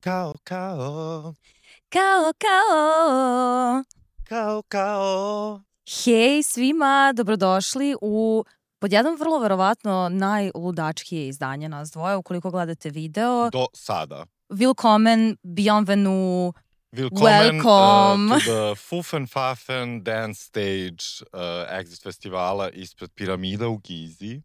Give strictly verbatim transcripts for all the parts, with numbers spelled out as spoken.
Kao, kao. Kao, kao. Kao, kao. Hej svima, dobrodošli u pod jednom vrlo verovatno najludačkije izdanje nas dvoje, ukoliko gledate video. Do sada. Willkommen, bienvenue, Willkommen welcome. uh, to the Fufen Fafen Dance Stage uh, Exit Festivala ispred piramida u Gizi.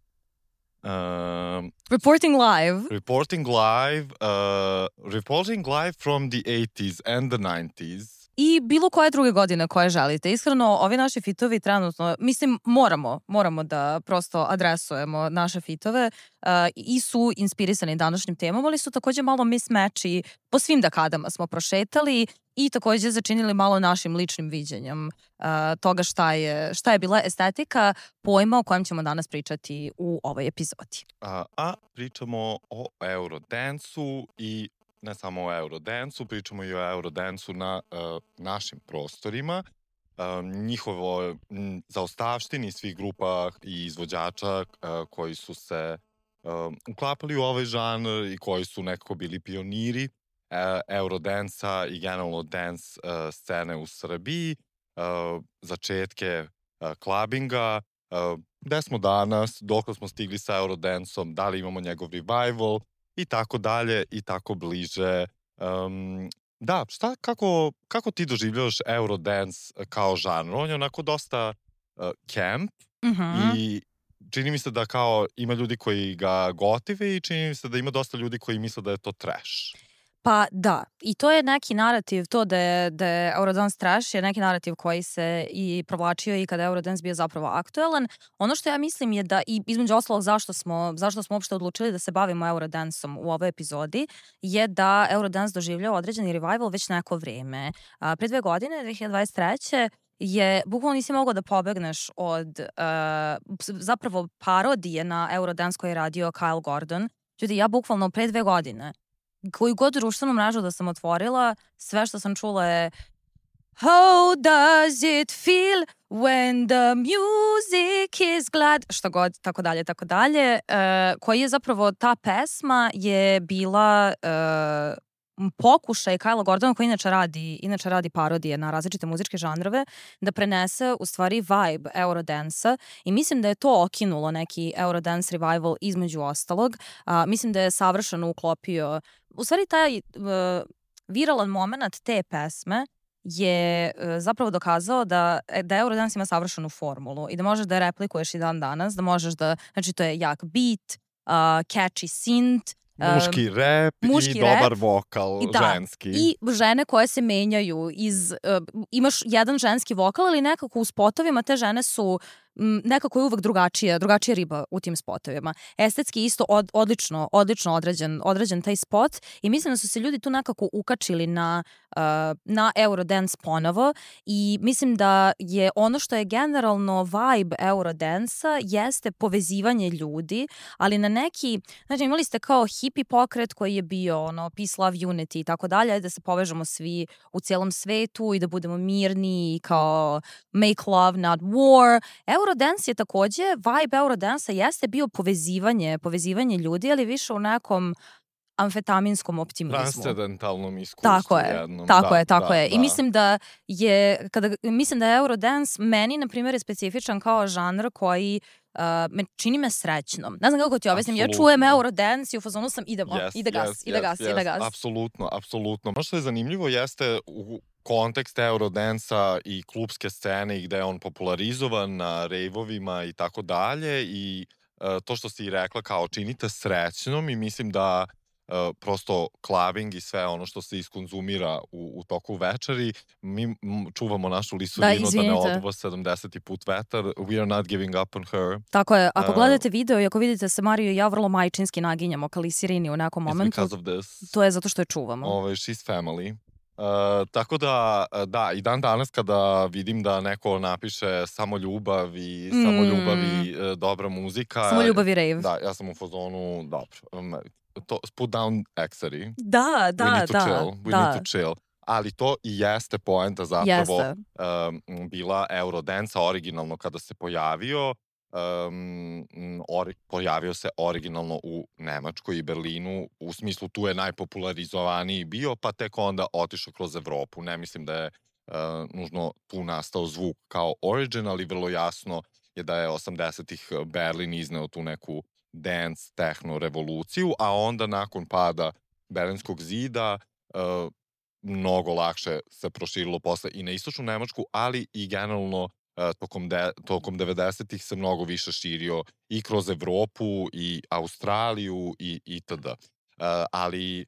Um, Reporting live. reporting live, uh, reporting live from the eighties and the nineties. I bilo koje druge godine koje želite. Iskreno, ovi naši fitovi trenutno, mislim, moramo, moramo da prosto adresujemo naše fitove uh, i su inspirisani današnjim temom, ali su takođe malo mismatchi po svim dekadama smo prošetali i takođe začinili malo našim ličnim viđenjem uh, toga šta je, šta je bila estetika pojma o kojem ćemo danas pričati u ovoj epizodi. A, a pričamo o Eurodance-u i ne samo o Eurodance-u, pričamo i o Eurodance-u na uh, našim prostorima. Uh, njihovo m, zaostavštini svih grupa i izvođača uh, koji su se uh, uklapali u ovaj žanr i koji su nekako bili pioniri uh, Eurodance-a i generalno dance uh, scene u Srbiji, uh, začetke uh, klabinga, uh, gde smo danas, dok smo stigli sa Eurodance-om, da li imamo njegov revival, i tako dalje, i tako bliže. Um, da, šta, kako, kako ti doživljavaš Eurodance kao žanr? On je onako dosta uh, camp Mm-hmm. i čini mi se da kao ima ljudi koji ga gotive i čini mi se da ima dosta ljudi koji misle da je to trash. Pa da, i to je neki narativ, to da je, da je Eurodance trash je neki narativ koji se i provlačio i kada je Eurodance bio zapravo aktuelan. Ono što ja mislim je da, i između ostalog zašto smo, zašto smo uopšte odlučili da se bavimo Eurodanceom u ovoj epizodi, je da Eurodance doživljao određeni revival već neko vreme. A, pre dve godine, dve hiljade dvadeset treće je, bukvalno nisi mogao da pobegneš od uh, zapravo parodije na Eurodance koji je radio Kyle Gordon. Ljudi, ja bukvalno pre dve godine koju god društvenu mrežu da sam otvorila, sve što sam čula je How does it feel when the music is glad? Šta god, tako dalje, tako dalje. Uh, koji je zapravo, ta pesma je bila uh, pokušaj Kyla Gordona, koji inače radi, inače radi parodije na različite muzičke žanrove, da prenese u stvari vibe Eurodance-a i mislim da je to okinulo neki Eurodance revival između ostalog. Uh, mislim da je savršeno uklopio, u stvari taj uh, viralan moment te pesme je uh, zapravo dokazao da, da Eurodance ima savršenu formulu i da možeš da je replikuješ i dan danas, da možeš da, znači to je jak beat, uh, catchy synth, Muški rap muški i rap, dobar vokal, i da, ženski. I žene koje se menjaju iz, uh, imaš jedan ženski vokal, ali nekako u spotovima te žene su m, nekako je uvek drugačija, drugačija riba u tim spotovima. Estetski isto od, odlično, odlično određen, određen taj spot i mislim da su se ljudi tu nekako ukačili na, uh, na Eurodance ponovo i mislim da je ono što je generalno vibe Eurodance-a jeste povezivanje ljudi, ali na neki, znači imali ste kao hippie pokret koji je bio ono, peace, love, unity i tako dalje, da se povežemo svi u cijelom svetu i da budemo mirni i kao make love, not war. Eurodance je takođe, vibe Eurodance-a jeste bio povezivanje, povezivanje ljudi, ali više u nekom amfetaminskom optimizmu. Transcendentalnom iskustvu. Tako je, jednom. tako da, je, tako da, je. Da. I mislim da je, kada, mislim da je Eurodance meni, na primjer, je specifičan kao žanr koji uh, me, čini me srećnom. Ne znam kako ti objasnim, ja čujem Eurodance i u fazonu sam idemo, yes, ide gas, yes, ide yes, gas, yes, ide gas. Apsolutno, apsolutno. Ono što je zanimljivo jeste u kontekst Eurodance-a i klubske scene i gde je on popularizovan na rejvovima i tako dalje i uh, to što si rekla kao činite srećnom i mislim da Uh, prosto clubbing i sve ono što se iskonzumira u, u toku večeri, mi m, čuvamo našu lisurinu da, da ne oduva sedamdeseti put vetar. We are not giving up on her. Tako je. Ako uh, gledate video i ako vidite se Mariju i ja vrlo majčinski naginjamo ka lisirini u nekom momentu, because of this. To je zato što je čuvamo. Ove, she's family. Uh, tako da, da, i dan danas kada vidim da neko napiše samo ljubav i mm. samo ljubav i uh, dobra muzika. Samo ljubav i rave. Da, ja sam u fazonu, dobro, um, to, put down Exari. Da, da, We need to da. chill. We da. need to chill. Ali to i jeste poenta zapravo jeste. Um, bila Eurodance-a originalno kada se pojavio. um, ori, pojavio se originalno u Nemačkoj i Berlinu, u smislu tu je najpopularizovaniji bio, pa tek onda otišao kroz Evropu. Ne mislim da je uh, nužno tu nastao zvuk kao origin, ali vrlo jasno je da je osamdesetih Berlin izneo tu neku dance, techno revoluciju, a onda nakon pada Berlinskog zida uh, mnogo lakše se proširilo posle i na istočnu Nemačku, ali i generalno uh, tokom, de, tokom devedesetih se mnogo više širio i kroz Evropu i Australiju i itd. Uh, ali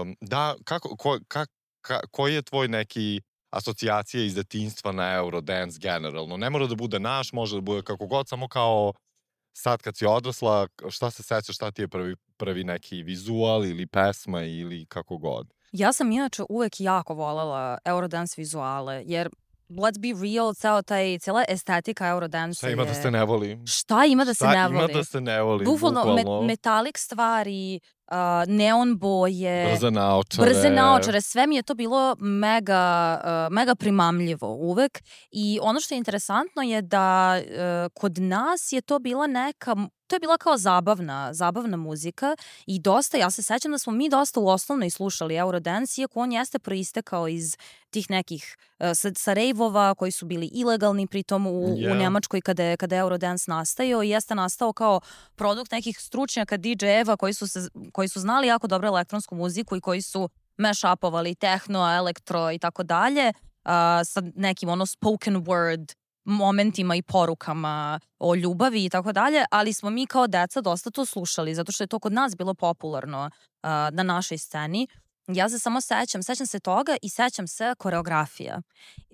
um, da, kako, ko, ka, ka, koji je tvoj neki asocijacije iz detinjstva na Eurodance generalno? Ne mora da bude naš, može da bude kako god, samo kao sad kad si odrasla, šta se sećaš, šta ti je prvi, prvi neki vizual ili pesma ili kako god? Ja sam inače uvek jako volela Eurodance vizuale, jer let's be real, ceo taj, cijela estetika Eurodance šta ima je... da se ne voli? Šta ima da se šta ne voli? Šta ima da se ne voli, bukvalno? bukvalno. Me, metalik stvari, uh, neon boje, brze naočare. Brze naočare, sve mi je to bilo mega, uh, mega primamljivo uvek. I ono što je interesantno je da uh, kod nas je to bila neka... To je bila kao zabavna, zabavna muzika i dosta, ja se sećam da smo mi dosta u osnovnoj slušali Eurodance, iako on jeste proistekao iz tih nekih uh, sa, sa rejvova koji su bili ilegalni pritom u, yeah. u Nemačkoj kada je, kada je Eurodance nastajao i jeste nastao kao produkt nekih stručnjaka D J-eva koji su, se, koji su znali jako dobro elektronsku muziku i koji su mashupovali tehno, elektro i tako dalje sa nekim ono spoken word momentima i porukama o ljubavi i tako dalje, ali smo mi kao deca dosta to slušali, zato što je to kod nas bilo popularno uh, na našoj sceni. Ja se samo sećam, sećam se toga i sećam se koreografija,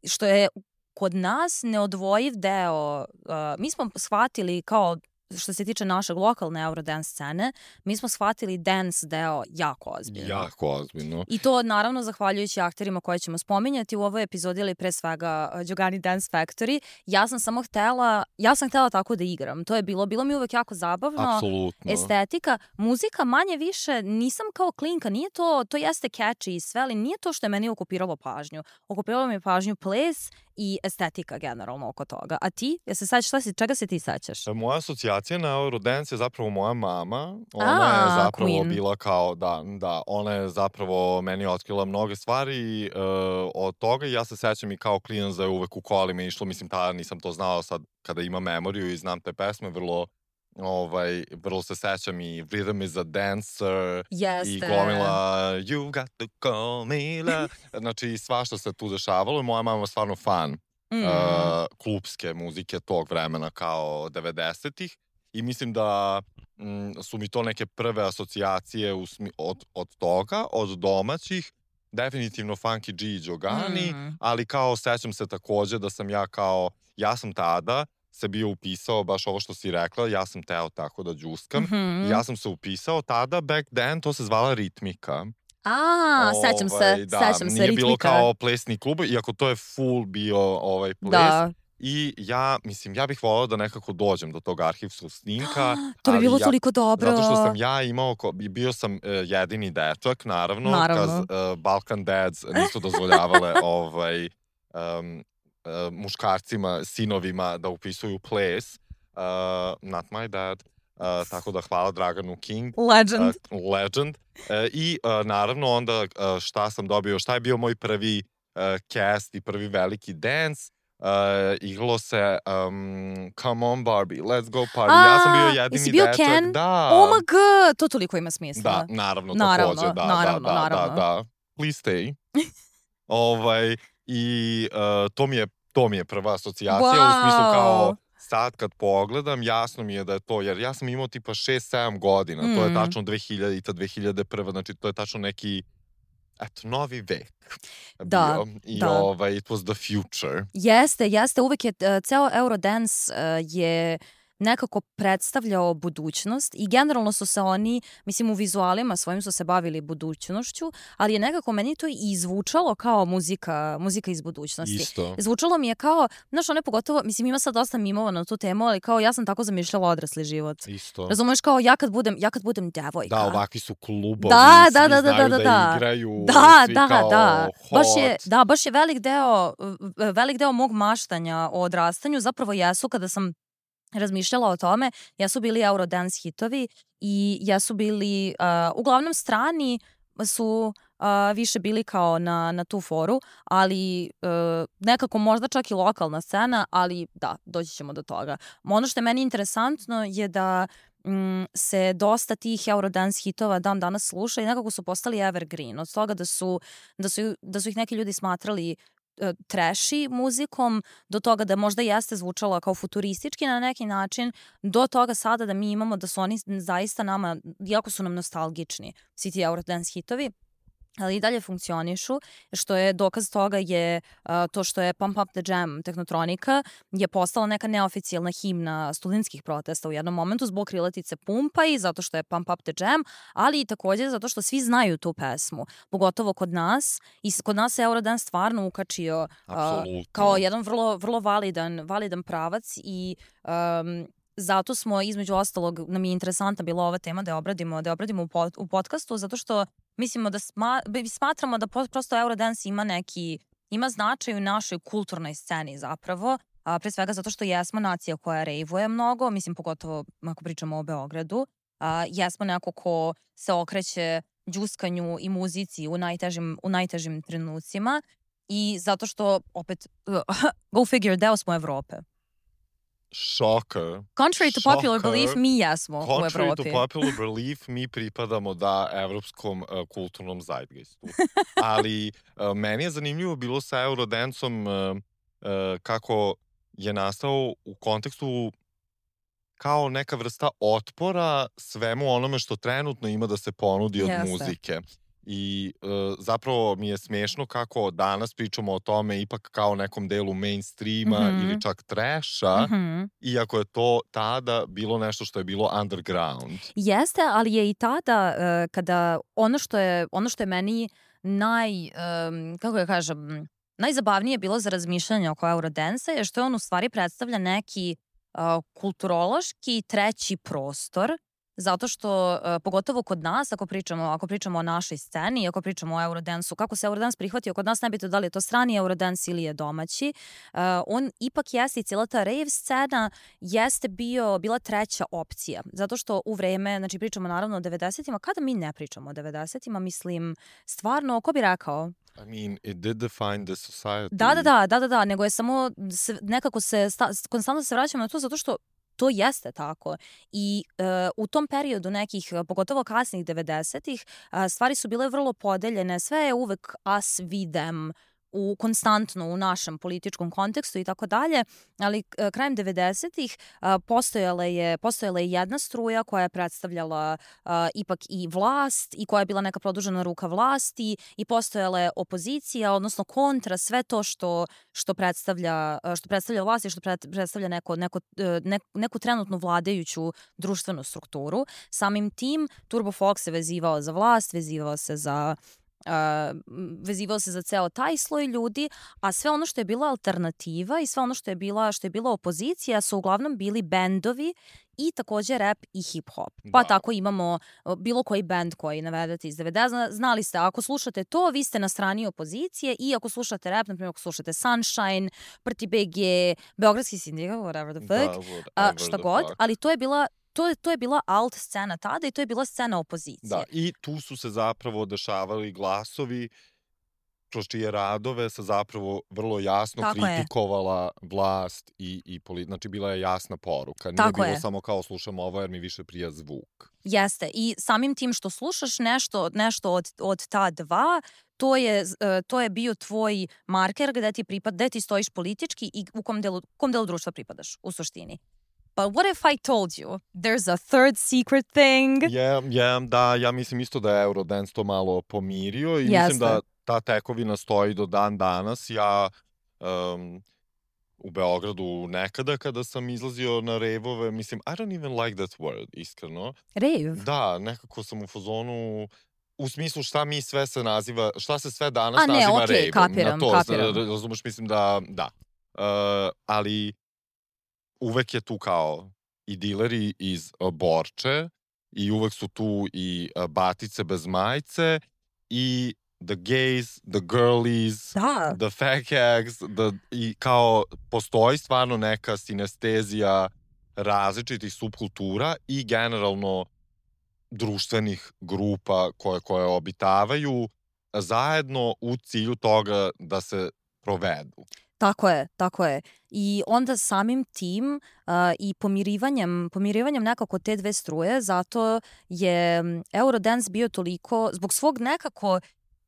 što je kod nas neodvojiv deo. Uh, mi smo shvatili kao što se tiče našeg lokalne Eurodance scene, mi smo shvatili dance deo jako ozbiljno. Jako ozbiljno. I to naravno zahvaljujući akterima koje ćemo spominjati u ovoj epizodi, ili pre svega Giogani Dance Factory. Ja sam samo htela, ja sam htela tako da igram. To je bilo, bilo mi uvek jako zabavno. Apsolutno. Estetika, muzika manje više, nisam kao klinka, nije to, to jeste catchy i sve, ali nije to što je meni okupiralo pažnju. Okupiralo mi pažnju ples i estetika generalno oko toga. A ti? Ja se sećaš, šta si, čega se ti sećaš? Moja asocijacija na Eurodance je zapravo moja mama. Ona A, je zapravo Queen. bila kao, da, da, ona je zapravo meni otkrila mnoge stvari uh, od toga i ja se sećam i kao klinac da je uvek u kolima išlo, mislim tada nisam to znao, sad kada ima memoriju i znam te pesme, vrlo ovaj, vrlo se sećam i Rhythm is a Dancer. Jeste. I glomila You got to call me love. Znači svašta se tu dešavalo i moja mama je stvarno fan mm. uh, klupske muzike tog vremena kao devedesetih i mislim da mm, su mi to neke prve asocijacije u smi, od, od toga, od domaćih. Definitivno Funky G i Giogani, mm. ali kao sećam se takođe da sam ja kao, ja sam tada se bio upisao, baš ovo što si rekla, ja sam teo tako da džuskam. Mm-hmm. Ja sam se upisao tada, back then, to se zvala ritmika. A, ovaj, sećam se, da, sećam se, nije ritmika. bilo kao plesni klub, iako to je full bio ovaj ples. Da. I ja, mislim, ja bih volao da nekako dođem do tog arhivskog snimka. To bi bilo ja, toliko dobro. Zato što sam ja imao, bio sam uh, jedini dečak, naravno, naravno. Kaz uh, Balkan Dads nisu dozvoljavale ovaj... Um, Uh, muškarcima, sinovima da upisuju ples. Uh, not my dad. Uh, tako da hvala Draganu King. Legend. Uh, legend. Uh, I uh, naravno onda uh, šta sam dobio, šta je bio moj prvi uh, cast i prvi veliki dance. Uh, igralo se um, Come on Barbie, let's go party. A, ja sam bio jedini jesi bio dečak. Ken? Da. Oh my god, to toliko ima smisla. Da, naravno, naravno takođe. Da, naravno, da, da, naravno. da, da. Please stay. ovaj... I uh, to, mi je, to mi je prva asocijacija wow. u smislu kao sad kad pogledam jasno mi je da je to, jer ja sam imao tipa šest sedam godina, mm. to je tačno dve hiljadite, dve hiljade prve, znači to je tačno neki eto, novi vek da, bio. I da. ovaj, it was the future. Jeste, jeste, uvek je, uh, ceo Eurodance uh, je nekako predstavljao budućnost i generalno su se oni, mislim u vizualima svojim su se bavili budućnošću, ali je nekako meni to i zvučalo kao muzika, muzika iz budućnosti. Isto. Zvučalo mi je kao, znaš, one pogotovo, mislim ima sad dosta mimova na tu temu, ali kao ja sam tako zamišljala odrasli život. Isto. Razumeš, kao ja kad budem, ja kad budem devojka. Da, ovakvi su klubovi, da, svi da, da, znaju da, da, da igraju, da, svi da, kao da. hot. Baš je, da, baš je velik deo, velik deo mog maštanja o odrastanju zapravo jesu kada sam razmišljala o tome, jesu bili Eurodance hitovi i jesu bili, uh, uglavnom strani su uh, više bili kao na, na tu foru, ali uh, nekako možda čak i lokalna scena, ali da, doći ćemo do toga. Ono što je meni interesantno je da mm, se dosta tih Eurodance hitova dan danas sluša i nekako su postali evergreen. Od toga da su, da su, da su ih neki ljudi smatrali trashy muzikom, do toga da možda jeste zvučala kao futuristički na neki način, do toga sada da mi imamo da su oni zaista nama, jako su nam nostalgični, svi ti Eurodance hitovi, ali i dalje funkcionišu, što je dokaz toga je uh, to što je Pump Up the Jam Tehnotronika je postala neka neoficijalna himna studentskih protesta u jednom momentu zbog krilatice Pumpa i zato što je Pump Up the Jam, ali i također zato što svi znaju tu pesmu, pogotovo kod nas i kod nas se Eurodance stvarno ukačio uh, kao jedan vrlo, vrlo validan, validan pravac i um, zato smo između ostalog, nam je interesantna bila ova tema da je obradimo, da je obradimo u, pod, u podcastu, zato što mislimo da sma, smatramo da prosto Eurodance ima neki, ima značaj u našoj kulturnoj sceni zapravo, a, pre svega zato što jesmo nacija koja rejvuje mnogo, mislim pogotovo ako pričamo o Beogradu, a, jesmo neko ko se okreće đuskanju i muzici u najtežim, u najtežim trenucima i zato što opet, go figure, deo smo Evrope. Shocker. Contrary to Shocker. popular belief, mi jesmo u Evropi. Contrary to popular belief, mi pripadamo da evropskom uh, kulturnom zeitgeistu. Ali uh, meni je zanimljivo bilo sa Eurodancom uh, uh, kako je nastao u kontekstu kao neka vrsta otpora svemu onome što trenutno ima da se ponudi od Jeste. muzike. I uh, zapravo mi je smiješno kako danas pričamo o tome ipak kao nekom delu mainstreama mm-hmm. ili čak trasha, mm-hmm. iako je to tada bilo nešto što je bilo underground. Jeste, ali je i tada uh, kada ono što je, ono što je meni naj, um, kako ja kažem, najzabavnije bilo za razmišljanje oko Eurodance je što on u stvari predstavlja neki uh, kulturološki treći prostor. Zato što, uh, pogotovo kod nas, ako pričamo, ako pričamo o našoj sceni, ako pričamo o Eurodansu, kako se Eurodans prihvatio kod nas, nebitno da li je to strani Eurodans ili je domaći, uh, on ipak jeste i cijela ta rave scena jeste bio, bila treća opcija. Zato što u vreme, znači pričamo naravno o devedesetima, kada mi ne pričamo o devedesetima, mislim, stvarno, ko bi rekao? I mean, it did define the society. Da, da, da, da, da, da, nego je samo se, nekako se, sta, konstantno se vraćamo na to zato što to jeste tako. I uh, u tom periodu nekih, pogotovo kasnih devedesetih, uh, stvari su bile vrlo podeljene. Sve je uvek us, we, them, u, konstantno u našem političkom kontekstu i tako dalje, ali uh, krajem devedesetih uh, postojala je, postojala je jedna struja koja je predstavljala uh, ipak i vlast i koja je bila neka produžena ruka vlasti i postojala je opozicija, odnosno kontra sve to što, što, predstavlja, što predstavlja vlast i što predstavlja neko, neko, ne, neku trenutnu vladajuću društvenu strukturu. Samim tim Turbo Folk se vezivao za vlast, vezivao se za Uh, vezivao se za ceo taj sloj ljudi, a sve ono što je bila alternativa i sve ono što je bila, što je bila opozicija su uglavnom bili bendovi i također rap i hip-hop. Pa da. Tako imamo bilo koji bend koji navedete iz devedesetih. Znali ste, ako slušate to, vi ste na strani opozicije i ako slušate rap, na primjer ako slušate Sunshine, Prti B G, Beogradski sindikat, whatever the fuck, da, uh, šta god, fuck. Ali to je bila To je, to je bila alt scena tada i to je bila scena opozicije. Da, i tu su se zapravo dešavali glasovi kroz čije radove se zapravo vrlo jasno Tako kritikovala je. vlast i, i polit... Znači, bila je jasna poruka. Nije Tako bilo je. samo kao slušam ovo jer mi više prija zvuk. Jeste. I samim tim što slušaš nešto, nešto od, od ta dva, to je, to je bio tvoj marker gde ti, pripad, gde ti stojiš politički i u kom delu, kom delu društva pripadaš, u suštini. But what if I told you there's a third secret thing? Yeah, yeah, da, ja mislim isto da je Eurodance to malo pomirio i Jeste. mislim da ta tekovina stoji do dan danas. Ja um, u Beogradu nekada kada sam izlazio na rejvove, mislim, I don't even like that word, iskreno. Rejv? Da, nekako sam u fazonu... U smislu šta mi sve se naziva, šta se sve danas A, ne, naziva okay, rejvom. kapiram, Na to, kapiram. razumeš, mislim da, da. Uh, ali uvek je tu kao i dileri iz uh, Borče i uvek su tu i uh, batice bez majice i the gays, the girlies, da. the fat hags, the, i kao postoji stvarno neka sinestezija različitih subkultura i generalno društvenih grupa koje, koje obitavaju zajedno u cilju toga da se provedu. Tako je, tako je. I onda samim tim uh, i pomirivanjem, pomirivanjem nekako te dve struje, zato je Eurodance bio toliko, zbog svog nekako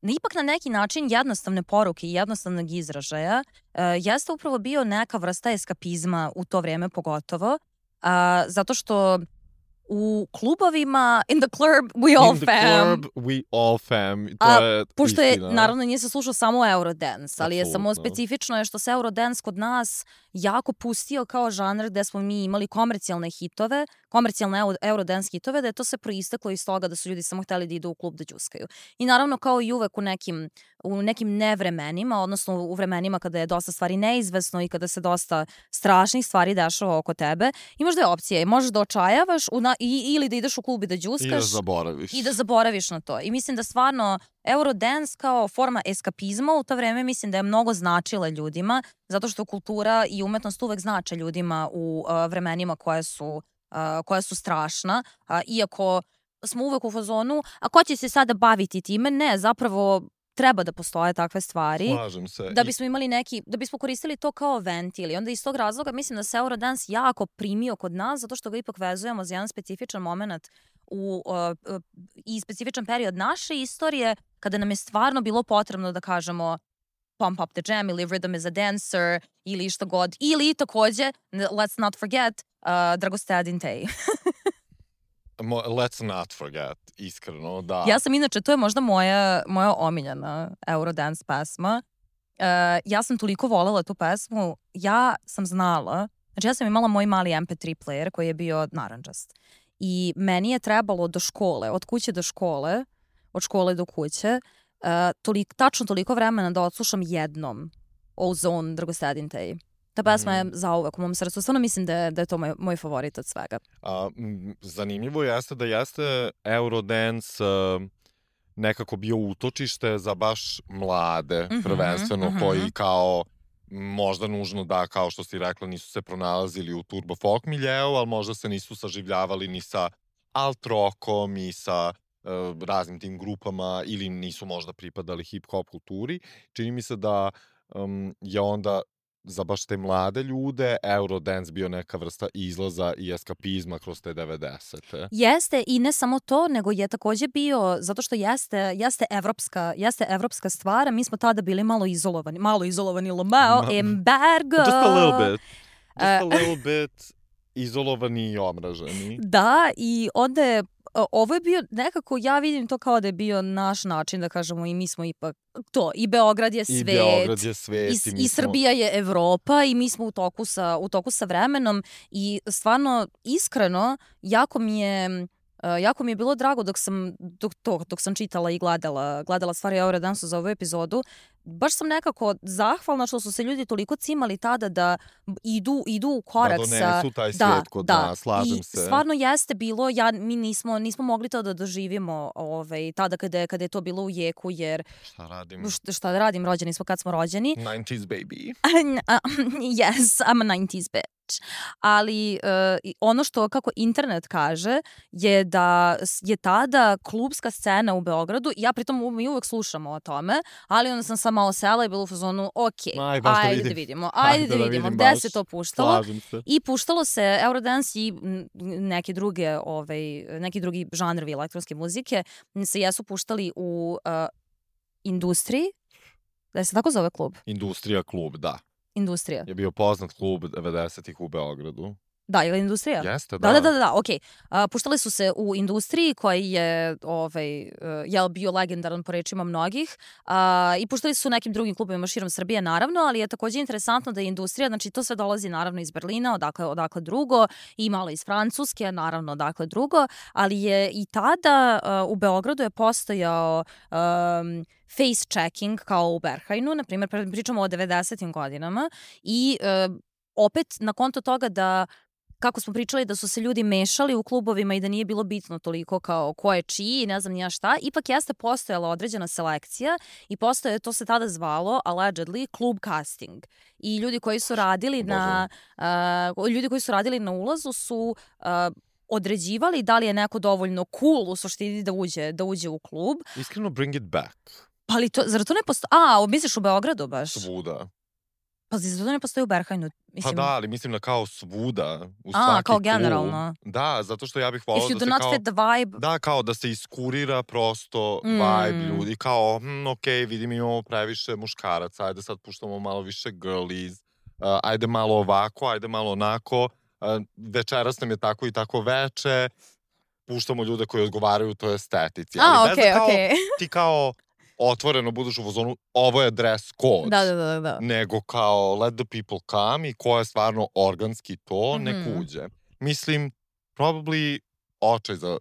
ipak na neki način jednostavne poruke i jednostavnog izražaja, uh, jeste upravo bio neka vrsta eskapizma u to vrijeme pogotovo, uh, zato što u klubovima, in the club, we all in the fam. club, we all fam. To A, je pošto je, istina. naravno, nije se slušao samo Eurodance, ali je samo Apsolutno. specifično je što se Eurodance kod nas jako pustio kao žanr gde smo mi imali komercijalne hitove, komercijalne Eurodance hitove, da je to se proisteklo iz toga da su ljudi samo hteli da idu u klub da đuskaju. I naravno, kao i uvek u nekim, u nekim nevremenima, odnosno u vremenima kada je dosta stvari neizvesno i kada se dosta strašnih stvari dešava oko tebe, imaš dve opcije. Možeš da očajavaš u na, i, ili da ideš u klub i da đuskaš. I da zaboraviš. I da zaboraviš na to. I mislim da stvarno Eurodance kao forma eskapizma u to vreme mislim da je mnogo značila ljudima, zato što kultura i umetnost uvek znače ljudima u uh, vremenima koje su, uh, koja su strašna. Uh, iako smo uvek u fazonu, a ko će se sada baviti time? Ne, zapravo treba da postoje takve stvari. Slažem se. Da bismo imali neki, da bismo koristili to kao ventil. I onda iz tog razloga mislim da se Eurodance jako primio kod nas, zato što ga ipak vezujemo za jedan specifičan moment u, uh, uh, i specifičan period naše istorije, kada nam je stvarno bilo potrebno da kažemo pump up the jam ili rhythm is a dancer ili što god. Ili takođe, let's not forget, uh, Dragostadin Tej. Let's not forget, iskreno, da. Ja sam inače, to je možda moja, moja omiljena Eurodance pesma. Uh, ja sam toliko volela tu pesmu. Ja sam znala, znači ja sam imala moj mali em pe tri player koji je bio narandžast. I meni je trebalo do škole, od kuće do škole, od škole do kuće, uh, tolik, tačno toliko vremena da odslušam jednom Ozone Dragostadin Tej. Ta pesma je zauvek u mom srcu. Stvarno mislim da je, da je to moj, moj favorit od svega. A, m, zanimljivo jeste da jeste Eurodance uh, nekako bio utočište za baš mlade, Mhm, prvenstveno, mhm. koji kao možda nužno da, kao što si rekla, nisu se pronalazili u turbo folk miljeu, ali možda se nisu saživljavali ni sa alt rockom i sa uh, raznim tim grupama ili nisu možda pripadali hip-hop kulturi. Čini mi se da um, je onda za baš te mlade ljude Eurodance bio neka vrsta izlaza i eskapizma kroz te devedesete. Jeste, i ne samo to, nego je takođe bio, zato što jeste, jeste evropska, jeste evropska stvar, a mi smo tada bili malo izolovani, malo izolovani, lomao, Ma- embargo. Just a little bit. Just a Uh, little bit izolovani i omraženi. Da, i onda je, o, ovo je bio nekako, ja vidim to kao da je bio naš način, da kažemo, i mi smo ipak to, i Beograd je I svet. Beograd je svet. I, I, s- mi i smo- Srbija je Evropa i mi smo u toku sa, u toku sa vremenom i stvarno, iskreno, jako mi je... Uh, jako mi je bilo drago dok sam, dok, to, dok sam čitala i gledala, gledala stvari o Eurodance za ovu epizodu. Baš sam nekako zahvalna što su se ljudi toliko cimali tada da idu, idu u korak da sa... donesu taj Da, svet kod da. nas, slažem I se. stvarno jeste bilo, ja, mi nismo, nismo mogli to da doživimo ovaj, tada kada je, kada je to bilo u jeku, jer Šta radim? šta, šta da radim, rođeni smo kad smo rođeni. nineties baby. Yes, I'm a nineties bitch. Ali uh, i ono što, kako internet kaže, je da s- je tada klubska scena u Beogradu, ja pritom mi uvek slušamo o tome, ali onda sam sama osela i bila u fazonu, ok, Aj, baš da ajde da vidim. vidimo, ajde, Ajde da da vidimo, vidim gde baš. se to puštalo. Slažem se. I puštalo se Eurodance i m, neke druge, ovaj, neki drugi žanrovi elektronske muzike se jesu puštali u uh, industriji, da se tako zove klub, Industrija klub, da. industrija. Je bio poznat klub devedesetih u Beogradu. Da, ili industrija? Jeste, da. Da, da, da, da, okej. A, puštali su se u industriji koji je, ovaj, uh, jel, bio legendaran po rečima mnogih a, i puštali su u nekim drugim klubovima širom Srbije, naravno, ali je takođe interesantno da je industrija, znači to sve dolazi naravno iz Berlina, odakle, odakle drugo, i malo iz Francuske, naravno odakle drugo, ali je i tada uh, u Beogradu je postojao um, face checking kao u Berhajnu, na primjer, pričamo o devedesetim godinama i uh, opet na konto toga da kako smo pričali da su se ljudi mešali u klubovima i da nije bilo bitno toliko kao ko je čiji i ne znam nija šta, ipak jeste postojala određena selekcija i postoje, to se tada zvalo, allegedly, klub casting. I ljudi koji su radili na, uh, ljudi koji su radili na ulazu su uh, određivali da li je neko dovoljno cool u suštini da uđe, da uđe u klub. Iskreno, bring it back. Pa li to, zar to ne postoji? A, misliš u Beogradu baš? Svuda. Pa zar to ne postoji u Berhajnu? Mislim... Pa da, ali mislim da kao svuda, u A, svaki kao klub. generalno. Da, zato što ja bih volao da se not kao... fit the vibe. Da, kao da se iskurira prosto mm. vibe ljudi. Kao, hm, ok, vidim imamo previše muškaraca, ajde sad puštamo malo više girlies, uh, ajde malo ovako, ajde malo onako, uh, večeras nam je tako i tako veče, puštamo ljude koji odgovaraju toj estetici. A, ali okej, okay, okej. Okay. Ti kao otvoreno budeš u fazonu, ovo je dress code. Da, da, da, da. Nego kao let the people come i ko je stvarno organski to, mm-hmm. nek uđe. Mislim, probably očaj za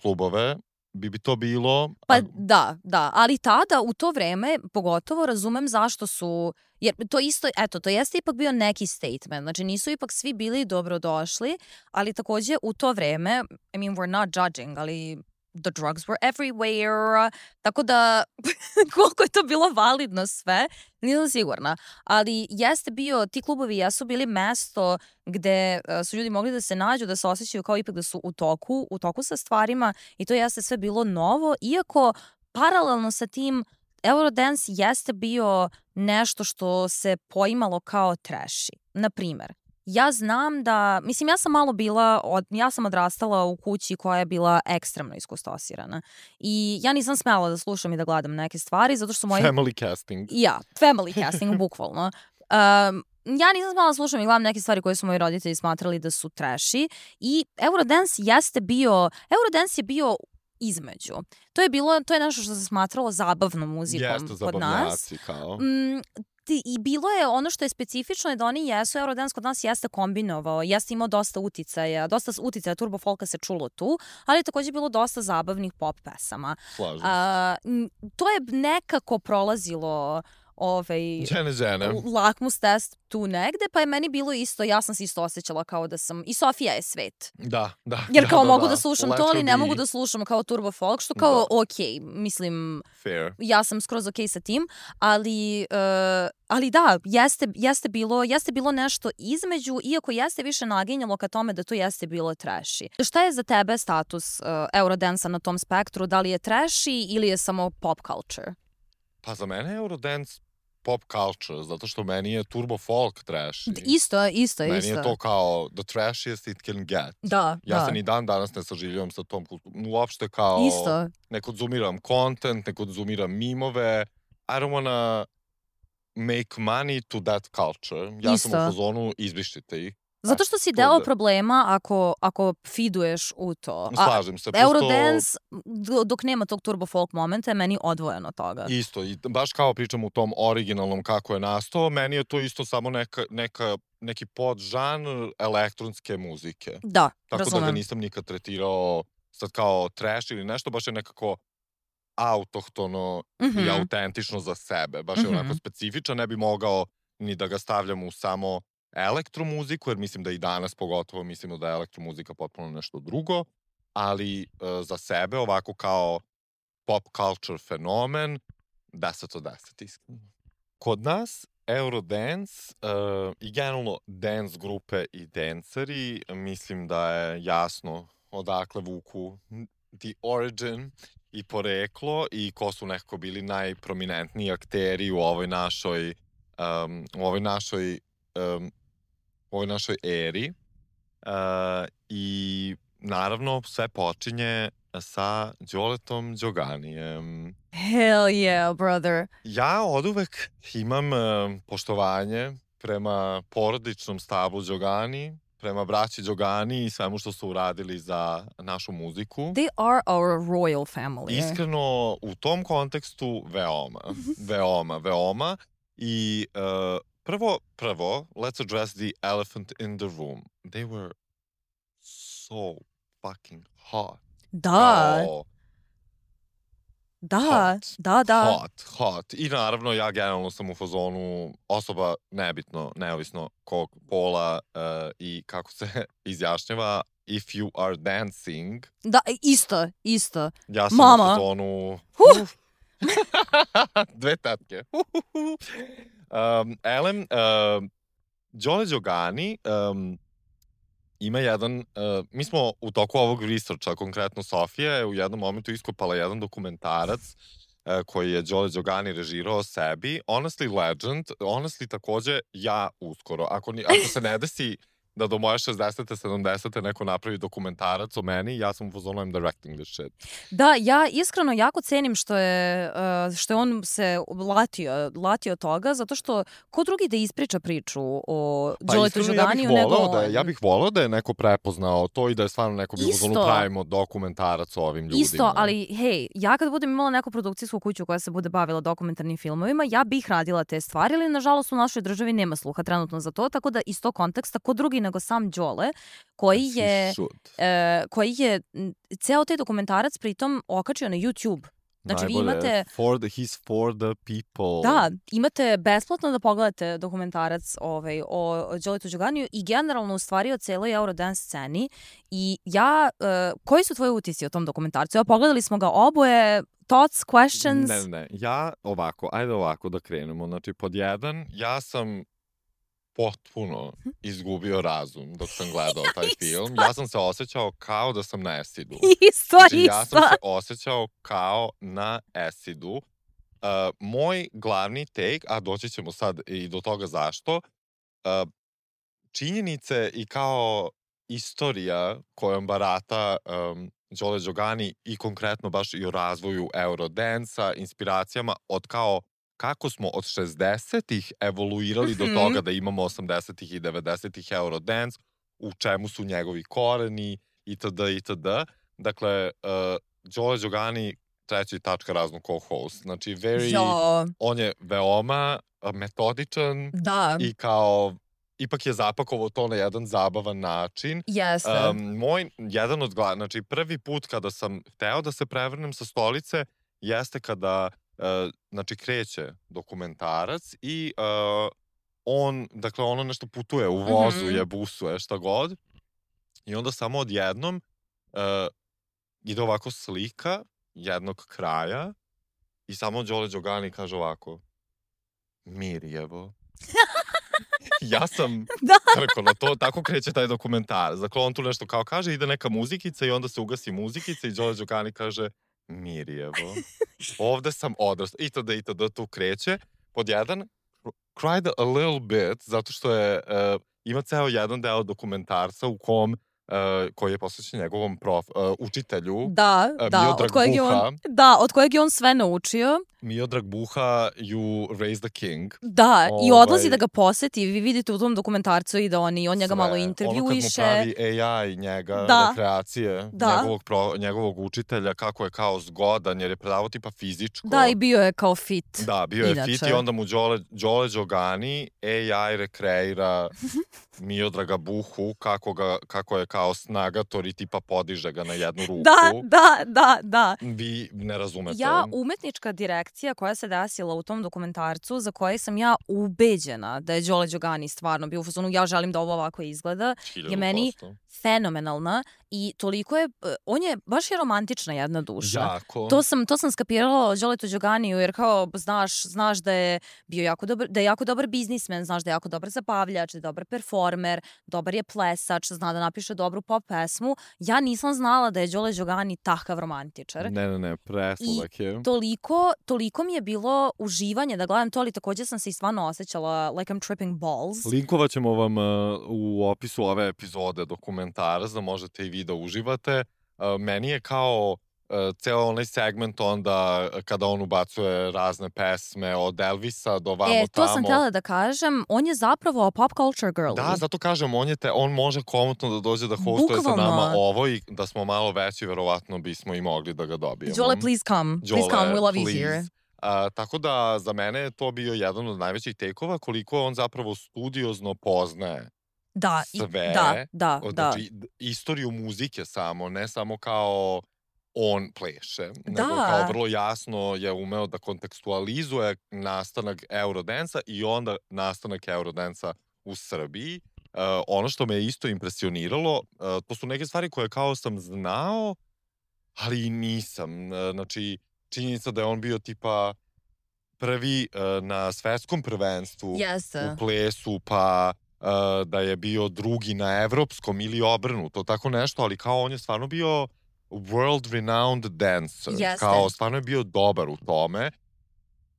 klubove bi bi to bilo... Pa da, da, ali tada u to vreme pogotovo razumem zašto su, jer to isto, eto, to jeste ipak bio neki statement, znači nisu ipak svi bili dobrodošli, ali takođe u to vreme, I mean, we're not judging, ali the drugs were everywhere, tako da koliko je to bilo validno sve, nisam sigurna. Ali jeste bio, ti klubovi jesu bili mesto gde uh, su ljudi mogli da se nađu, da se osjećaju kao ipak da su u toku, u toku sa stvarima i to jeste sve bilo novo, iako paralelno sa tim Eurodance jeste bio nešto što se poimalo kao trashy. Na primer, ja znam da, mislim, ja sam malo bila, od, ja sam odrastala u kući koja je bila ekstremno iskustosirana. I ja nisam smela da slušam i da gledam neke stvari, zato što su moji... Family casting. Ja, family casting, bukvalno. Um, ja nisam smela da slušam i gledam neke stvari koje su moji roditelji smatrali da su trashy. I Eurodance jeste bio, Eurodance je bio između. To je bilo, to je nešto što se smatralo zabavnom muzikom Jeste, kod nas. Jeste, kao. Mm, I bilo je, ono što je specifično je da oni jesu, Eurodance kod nas jeste kombinovao, jeste imao dosta uticaja, dosta uticaja turbo folka se čulo tu, ali je takođe bilo dosta zabavnih pop pesama. Slažem se. A, to je nekako prolazilo ovaj, žene, žene. lakmus test tu negde, pa je meni bilo isto, ja sam se isto osjećala kao da sam, i Sofija je svet. Da, da. Jer kao da, mogu da, da slušam Let's to, ali ne be... mogu da slušam kao turbo folk, što kao da. ok, mislim, fair. Ja sam skroz ok sa tim, ali, uh, ali da, jeste, jeste, bilo, jeste bilo nešto između, iako jeste više naginjalo ka tome da to jeste bilo trashy. Šta je za tebe status uh, Eurodansa na tom spektru? Da li je trashy ili je samo pop culture? Pa za mene je Eurodance pop culture, zato što meni je turbo folk trashy. Isto, isto, meni isto. Meni je to kao the trashiest it can get. Da, ja da. se ni dan danas ne saživljavam sa tom kulturom. Uopšte kao... Isto. Ne konzumiram content, ne konzumiram mimove. I don't wanna make money to that culture. Ja isto. sam u fazonu, izbrišite ih. Zato što si deo problema ako, ako feeduješ u to. Slažem se. Eurodance, dok nema tog turbo folk momenta, je meni odvojeno od toga. Isto, i baš kao pričam u tom originalnom kako je nastao, meni je to isto samo neka, neka, neki podžanr elektronske muzike. Da, Tako razumem. da ga nisam nikad tretirao sad kao trash ili nešto, baš je nekako autohtono mm-hmm. i autentično za sebe. Baš je mm-hmm. onako specifičan, ne bi mogao ni da ga stavljam u samo elektromuziku, jer mislim da i danas pogotovo mislimo da je elektromuzika potpuno nešto drugo, ali e, za sebe ovako kao pop culture fenomen, deset od deset iskreno. Kod nas Eurodance e, i generalno dance grupe i danceri, mislim da je jasno odakle vuku the origin i poreklo i ko su nekako bili najprominentniji akteri u ovoj našoj um, u ovoj našoj um, u ovoj našoj eri uh, i naravno sve počinje sa Đoletom Đoganijem. Hell yeah, brother. Ja oduvek imam uh, poštovanje prema porodičnom stablu Đogani, prema braći Đogani i svemu što su uradili za našu muziku. They are our royal family. Iskreno, u tom kontekstu veoma, veoma, veoma i uh, Prvo, prvo, let's address the elephant in the room. They were so fucking hot. Da. Kao, Da, hot. da, da. Hot, hot. I naravno ja generalno sam u fazonu osoba nebitno, neovisno kog pola uh, i kako se izjašnjava, if you are dancing. Da, isto, isto. Ja sam Mama. u fazonu... Huh. Dve tatke. um, Elem, uh, Đole Đogani um, ima jedan, uh, mi smo u toku ovog researcha, konkretno Sofija je u jednom momentu iskopala jedan dokumentarac uh, koji je Đole Đogani režirao o sebi. Honestly legend, honestly takođe ja uskoro. Ako, ni, ako se ne desi da do moje šezdesete, sedamdesete neko napravi dokumentarac o meni, ja sam u fazonu I'm directing this shit. Da, ja iskreno jako cenim što je, uh, što je on se latio, latio toga, zato što ko drugi da ispriča priču o Đoletu Đoganiju ja nego da je, ja bih volao da je neko prepoznao to i da je stvarno neko bio u fazonu pravimo dokumentarac o ovim ljudima. Isto, ali hej, ja kad budem imala neku produkcijsku kuću koja se bude bavila dokumentarnim filmovima, ja bih radila te stvari, ali nažalost u našoj državi nema sluha trenutno za to, tako da iz tog konteksta ko drugi nego sam Đole, koji je, e, koji je ceo taj dokumentarac pritom okačio na YouTube. Znači najbolje, vi imate... For the, he's for the people. Da, imate besplatno da pogledate dokumentarac ovaj, o Đoletu Đoganiju i generalno u stvari o celoj Eurodance sceni. I ja, uh, koji su tvoji utisci o tom dokumentarcu? Evo, pogledali smo ga oboje, thoughts, questions? Ne, ne, ja ovako, ajde ovako da krenemo. Znači, pod jedan, ja sam potpuno izgubio razum dok sam gledao taj film. Ja sam se osjećao kao da sam na Esidu. Isto, znači, isto. Ja sam se osjećao kao na Esidu. Uh, moj glavni take, a doći ćemo sad i do toga zašto, uh, činjenice i kao istorija kojom barata um, Đole Đogani i konkretno baš i o razvoju Eurodansa, inspiracijama od kao kako smo od šezdesetih evoluirali do toga da imamo osamdesetih i devedesetih Eurodance, u čemu su njegovi koreni, itd. itd. Dakle, uh, Đole Đogani, treći tačka razno co-host. Znači, very, jo. on je veoma metodičan da. I kao, ipak je zapakovao to na jedan zabavan način. Jeste. Um, moj, jedan od glavnih, znači prvi put kada sam hteo da se prevrnem sa stolice, jeste kada Uh, znači kreće dokumentarac i uh, on, dakle ono nešto putuje u vozu, mm-hmm. je busuje, šta god. I onda samo odjednom uh, ide ovako slika jednog kraja i samo Đole Đogani kaže ovako Mirjevo. Ja sam da. rekao na to, tako kreće taj dokumentarac. Dakle, on tu nešto kao kaže, ide neka muzikica i onda se ugasi muzikica i Đole Đogani kaže Mirjevo. Ovde sam odrastao. Itd. Itd. Tu kreće. Pod jedan, cried a little bit, zato što je, uh, ima ceo jedan deo dokumentarca u kom, uh, koji je posvećen njegovom prof, uh, učitelju. Da, uh, da, Miodrag od kojeg Buha. je on, da, od kojeg je on sve naučio. Miodrag Buha, You Raise the King. Da, ovaj, i odlazi da ga poseti. Vi vidite u tom dokumentarcu i da on, i on njega sve. malo intervjuiše. Ono kad mu pravi A I njega, da. rekreacije, da. Njegovog, pro, njegovog učitelja, kako je kao zgodan, jer je predavao tipa fizičko. Da, i bio je kao fit. Da, bio je inače. fit i onda mu Đole, Đole Đogani A I rekreira Miodraga Buhu, kako, ga, kako je kao snagator i tipa podiže ga na jednu ruku. Da, da, da, da. Vi ne razumete. Ja, umetnička direkcija koja se desila u tom dokumentarcu, za koje sam ja ubeđena da je Đole Đogani stvarno bio u fazonu, ja želim da ovo ovako izgleda, je meni fenomenalna i toliko je, on je, baš je romantična jedna duša. Jako. To sam, to sam skapirala o Đoletu Đoganiju, jer kao, znaš, znaš da je bio jako dobar, da je jako dobar biznismen, znaš da je jako dobar zabavljač, da je dobar performer, dobar je plesač, zna da napiše dobru pop pesmu. Ja nisam znala da je Đole Đogani takav romantičar. Ne, ne, ne, presladak je. I toliko, toliko mi je bilo uživanje da gledam to, ali također sam se i stvarno osjećala like I'm tripping balls. Linkovat ćemo vam uh, u opisu ove epizode dokumentarac da možete i vi da uživate. Uh, meni je kao uh, ceo onaj segment onda kada on ubacuje razne pesme od Elvisa do vamo tamo. E, to tamo. sam htjela da kažem, on je zapravo pop culture girl. Da, zato kažem, on, je te, on može komotno da dođe da hostuje Bukvalno. sa nama ovo i da smo malo veći, verovatno bismo i mogli da ga dobijemo. Đole, please come. Đole, please come, we love please. you here. Uh, tako da za mene je to bio jedan od najvećih tekova koliko on zapravo studiozno poznaje Da, sve, da, da, od, da. Znači, istoriju muzike samo, ne samo kao on pleše, Da. nego kao vrlo jasno je umeo da kontekstualizuje nastanak Eurodansa i onda nastanak Eurodansa u Srbiji. Uh, ono što me je isto impresioniralo, uh, to su neke stvari koje kao sam znao, ali i nisam. Uh, znači, činjenica da je on bio tipa prvi uh, na svetskom prvenstvu Jeste. u plesu, pa uh, da je bio drugi na evropskom ili obrnuto, tako nešto, ali kao on je stvarno bio world renowned dancer. Jeste. Kao stvarno je bio dobar u tome.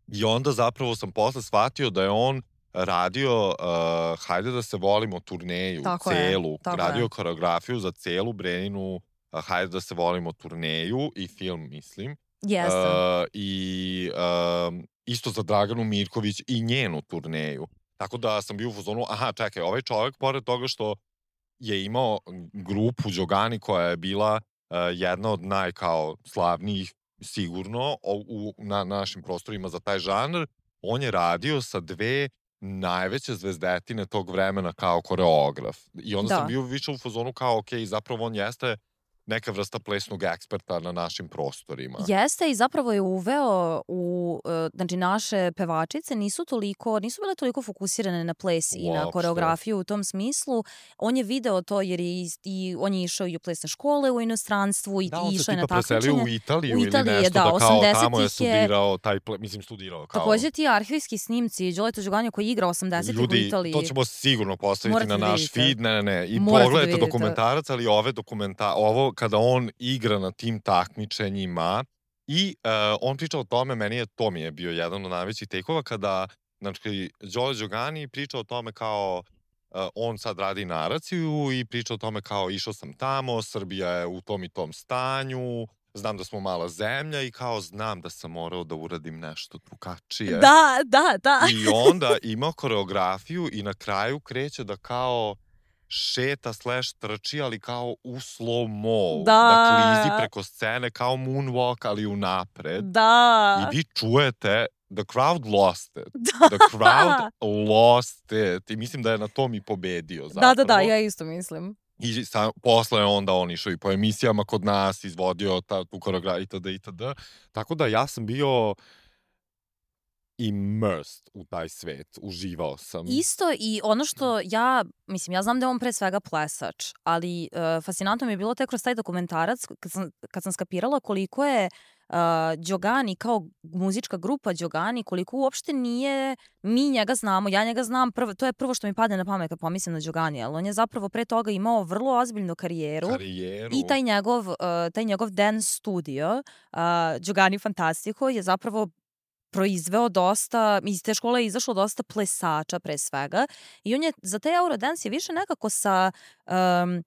I onda zapravo sam posle shvatio da je on radio uh, Hajde da se volimo turneju, tako celu, je, tako radio je. koreografiju za celu Breninu uh, Hajde da se volimo turneju i film, mislim. Jeste. Uh, I uh, isto za Draganu Mirković i njenu turneju. Tako da sam bio u fazonu, aha, čekaj, ovaj čovjek, pored toga što je imao grupu Đogani koja je bila uh, jedna od naj kao slavnijih sigurno u, u, na našim prostorima za taj žanr, on je radio sa dve najveće zvezdetine tog vremena kao koreograf. I onda Da. sam bio više u fazonu kao, ok, zapravo on jeste neka vrsta plesnog eksperta na našim prostorima. Jeste i zapravo je uveo u, e, znači naše pevačice nisu toliko, nisu bile toliko fokusirane na ples i na Uopšte. koreografiju u tom smislu. On je video to jer je i, i on je išao i u plesne škole u inostranstvu i, Da, i on se išao je na tipa preselio takmičenje. u Italiju U Italiji ili je, nešto, da, da, kao tamo je osamdesetih je- studirao, taj ple, mislim studirao kao... Takođe ti arhivski snimci Đoleta Đoganja koji igra osamdesetih u Ljudi, Italiji. to ćemo sigurno postaviti Morate na da naš vidite. feed, ne, ne, ne, i Morate da pogledajte vidite. dokumentarac, ali ove dokumenta, ovo kada on igra na tim takmičenjima i uh, on priča o tome, meni je, to mi je bio jedan od najvećih tekova, kada, znači, Đole Đogani priča o tome kao uh, on sad radi naraciju i priča o tome kao išao sam tamo, Srbija je u tom i tom stanju, znam da smo mala zemlja i kao znam da sam morao da uradim nešto drugačije. Da, da, da. I onda ima koreografiju i na kraju kreće da kao šeta slash trči, ali kao u slow mo. Da. Da klizi preko scene kao moonwalk, ali unapred. Da. I vi čujete, the crowd lost it. Da. The crowd lost it. I mislim da je na tom i pobedio zapravo. Da, da, da, ja isto mislim. I sa, posle je onda on išao i po emisijama kod nas, izvodio ta, tu koreografiju itd. itd. Tako da ja sam bio immersed u taj svet, uživao sam. Isto i ono što ja, mislim, ja znam da je on pre svega plesač, ali uh, fascinantno mi je bilo tek kroz taj dokumentarac kad sam, kad sam skapirala koliko je uh, Đogani kao muzička grupa Đogani, koliko uopšte nije, mi njega znamo, ja njega znam, prvo, to je prvo što mi padne na pamet kad pomislim na Đogani, ali on je zapravo pre toga imao vrlo ozbiljnu karijeru. Karijeru. I taj njegov, uh, taj njegov dance studio, uh, Đogani Fantastico, je zapravo proizveo dosta, iz te škole je izašlo dosta plesača pre svega i on je za taj Eurodance je više nekako sa um,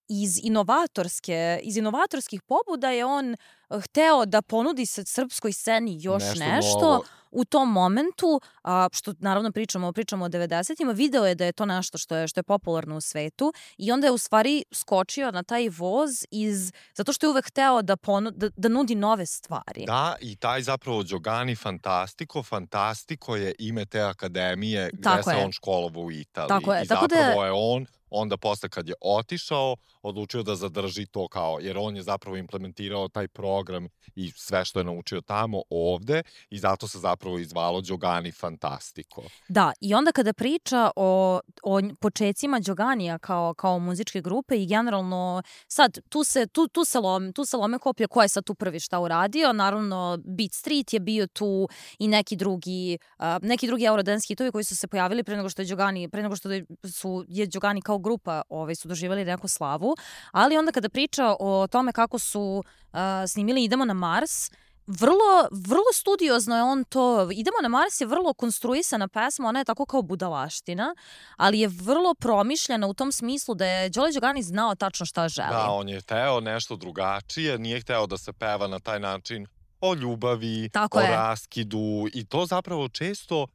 iz inovatorske, iz inovatorskih pobuda je on hteo da ponudi se srpskoj sceni još nešto, nešto novo. U tom momentu, a, što naravno pričamo, pričamo o devedesetima, video je da je to nešto što je, što je popularno u svetu i onda je u stvari skočio na taj voz iz, zato što je uvek hteo da, ponu, da, da nudi nove stvari. Da, i taj zapravo Đogani Fantastico, Fantastico je ime te akademije gde Tako se je. on školovao u Italiji. Tako je, I tako da- zapravo je on onda posle kad je otišao, odlučio da zadrži to kao, jer on je zapravo implementirao taj program i sve što je naučio tamo ovde i zato se zapravo izvalo Đogani Fantastico. Da, i onda kada priča o, o počecima Đoganija kao, kao muzičke grupe i generalno sad tu se, tu, tu se, lome, tu se lome koplje ko je sad tu prvi šta uradio, naravno Beat Street je bio tu i neki drugi, uh, neki drugi Eurodance hitovi koji su se pojavili pre nego što je Đogani, pre nego što su, je Đogani kao grupa ovaj, su doživjeli neku slavu, ali onda kada priča o tome kako su uh, snimili Idemo na Mars, vrlo, vrlo studiozno je on to, Idemo na Mars je vrlo konstruisana pesma, ona je tako kao budalaština, ali je vrlo promišljena u tom smislu da je Đole Đogani znao tačno šta želi. Da, on je hteo nešto drugačije, nije hteo da se peva na taj način o ljubavi, Tako o je. raskidu i to zapravo često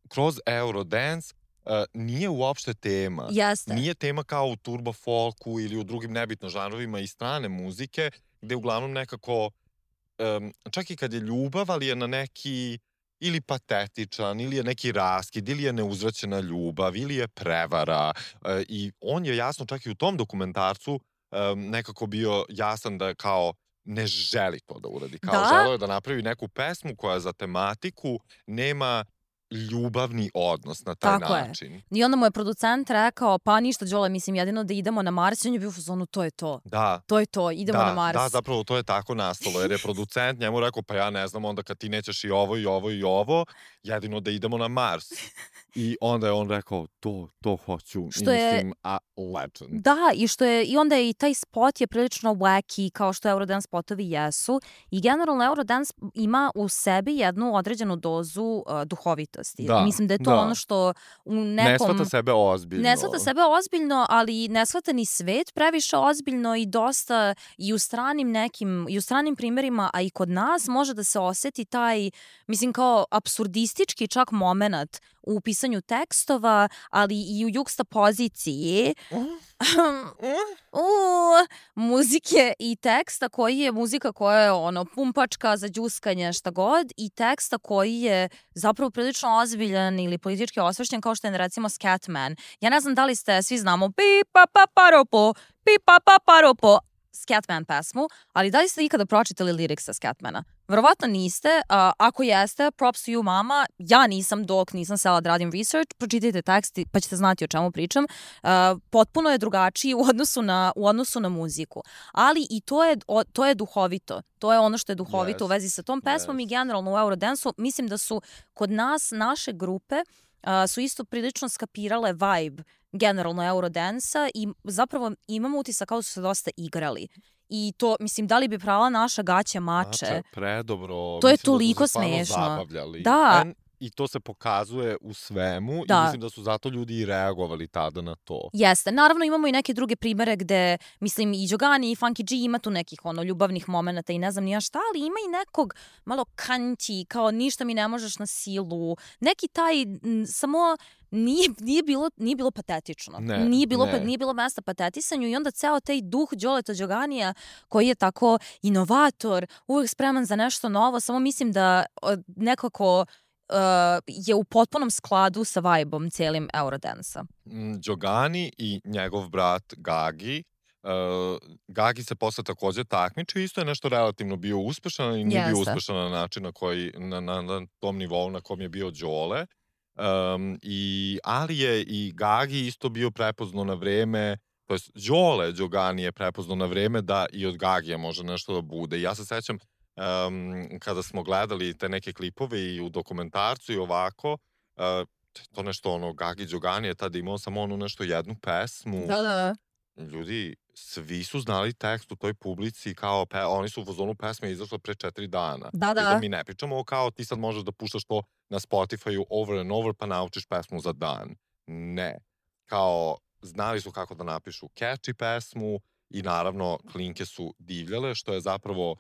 kroz Eurodance uh, nije uopšte tema. Jeste. Nije tema kao u turbo folku ili u drugim nebitno žanrovima i strane muzike, gde uglavnom nekako, um, čak i kad je ljubav, ali je na neki ili patetičan, ili je neki raskid, ili je neuzvraćena ljubav, ili je prevara. Uh, I on je jasno čak i u tom dokumentarcu um, nekako bio jasan da kao ne želi to da uradi. Kao Da. želeo je da napravi neku pesmu koja za tematiku nema ljubavni odnos na taj Tako je. način. I onda mu je producent rekao, pa ništa Đole, mislim, jedino da idemo na Mars. I on je bio u fazonu, to je to. Da. To je to, idemo Da, na Mars. da, zapravo to je tako nastalo, jer je producent njemu rekao, pa ja ne znam, onda kad ti nećeš i ovo i ovo i ovo, jedino da idemo na Mars. I onda je on rekao, to, to hoću. Što I je- mislim, a legend. Da, i što je, i onda je i taj spot je prilično wacky, kao što Eurodance spotovi jesu. I generalno Eurodance ima u sebi jednu određenu dozu uh, duhovitosti. Da, Mislim da je to da. ono što u nekom... Ne shvata sebe ozbiljno. Ne shvata sebe ozbiljno, ali ne shvata ni svet previše ozbiljno i dosta i u stranim nekim, i u stranim primjerima, a i kod nas može da se oseti taj, mislim kao apsurdistički čak moment u pisanju tekstova, ali i u jukstapoziciji u muzike i teksta koji je muzika koja je ono pumpačka za đuskanje šta god i teksta koji je zapravo prilično ozbiljan ili politički osvešćen kao što je recimo Scatman. Ja ne znam da li ste, svi znamo pi pa pa paropo, pi pa pa paropo Scatman pesmu, ali da li ste ikada pročitali liriksa Scatmana? Verovatno niste, a ako jeste, props to you mama, ja nisam dok nisam sela da radim research, pročitajte tekst pa ćete znati o čemu pričam. Uh, potpuno je drugačiji u odnosu na, u odnosu na muziku, ali i to je, o, to je duhovito, to je ono što je duhovito Yes. u vezi sa tom pesmom Yes. i generalno u Eurodance-u, mislim da su kod nas, naše grupe, uh, su isto prilično skapirale vibe generalno Eurodance-a i zapravo imamo utisak kao da su se dosta igrali. I to, mislim, da li bi prala naša gaća mače? Mače, predobro. To je Mislim da su toliko se stvarno smešno. zabavljali. Da. En, I to se pokazuje u svemu Da. i mislim da su zato ljudi i reagovali tada na to. Jeste. Naravno imamo i neke druge primere gde, mislim, i Đogani i Funky G ima tu nekih ono ljubavnih momenata i ne znam ni ja šta, ali ima i nekog malo kanti, kao ništa mi ne možeš na silu. Neki taj, m, samo nije, nije, bilo, nije bilo patetično. Ne, nije, bilo, ne. pa- nije bilo mesta patetisanju i onda ceo taj duh Đoleta Đoganija koji je tako inovator, uvek spreman za nešto novo, samo mislim da o, nekako uh, je u potpunom skladu sa vibe-om cijelim Eurodance-a. Mm, Đogani i njegov brat Gagi. Uh, Gagi se posle takođe takmičio, isto je nešto relativno bio uspešan i nije bio Jeste. uspešan na način na, koji, na, na, na tom nivou na kom je bio Đole. Um, i, ali je i Gagi isto bio prepoznao na vreme, to jest Đole Đogani je prepoznao na vreme da i od Gagija može nešto da bude. Ja se sećam um, kada smo gledali te neke klipove i u dokumentarcu i ovako, uh, to nešto ono, Gagi Đogani je tada imao samo ono nešto jednu pesmu. Da, da. Ljudi, svi su znali tekst u toj publici, kao pe, oni su u fazonu pesme izašle pre četiri dana. Da, da. Pritom mi ne pričamo kao ti sad možeš da puštaš to na Spotify-u over and over pa naučiš pesmu za dan. Ne. Kao, znali su kako da napišu catchy pesmu i naravno klinke su divljale, što je zapravo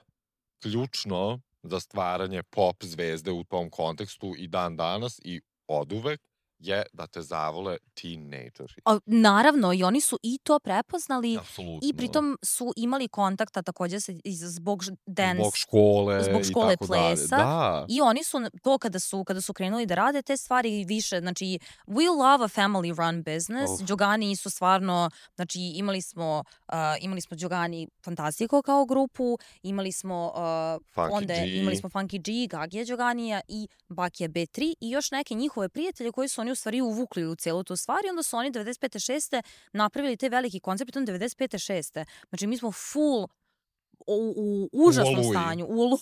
ključno za stvaranje pop zvezde u tom kontekstu i dan danas i oduvek je da te zavole teenageri. A, naravno, i oni su i to prepoznali Apsolutno. i pritom su imali kontakta takođe sa, iz, zbog ž- dance, Zbog škole, zbog škole i tako dalje. plesa. Da. I oni su to kada su kada su krenuli da rade te stvari više, znači we love a family run business. Uf. Đogani su stvarno, znači imali smo uh, imali smo Đogani Fantastico kao grupu, imali smo uh, Funky onda G. imali smo Funky G, Gagija Đoganija i Bakija be tri i još neke njihove prijatelje koji su oni u stvari uvukli u celu tu stvar i onda su oni devedeset pete šeste napravili te veliki koncept i to devedeset pete šeste Znači mi smo full u, u užasnom oluji. stanju. U olu...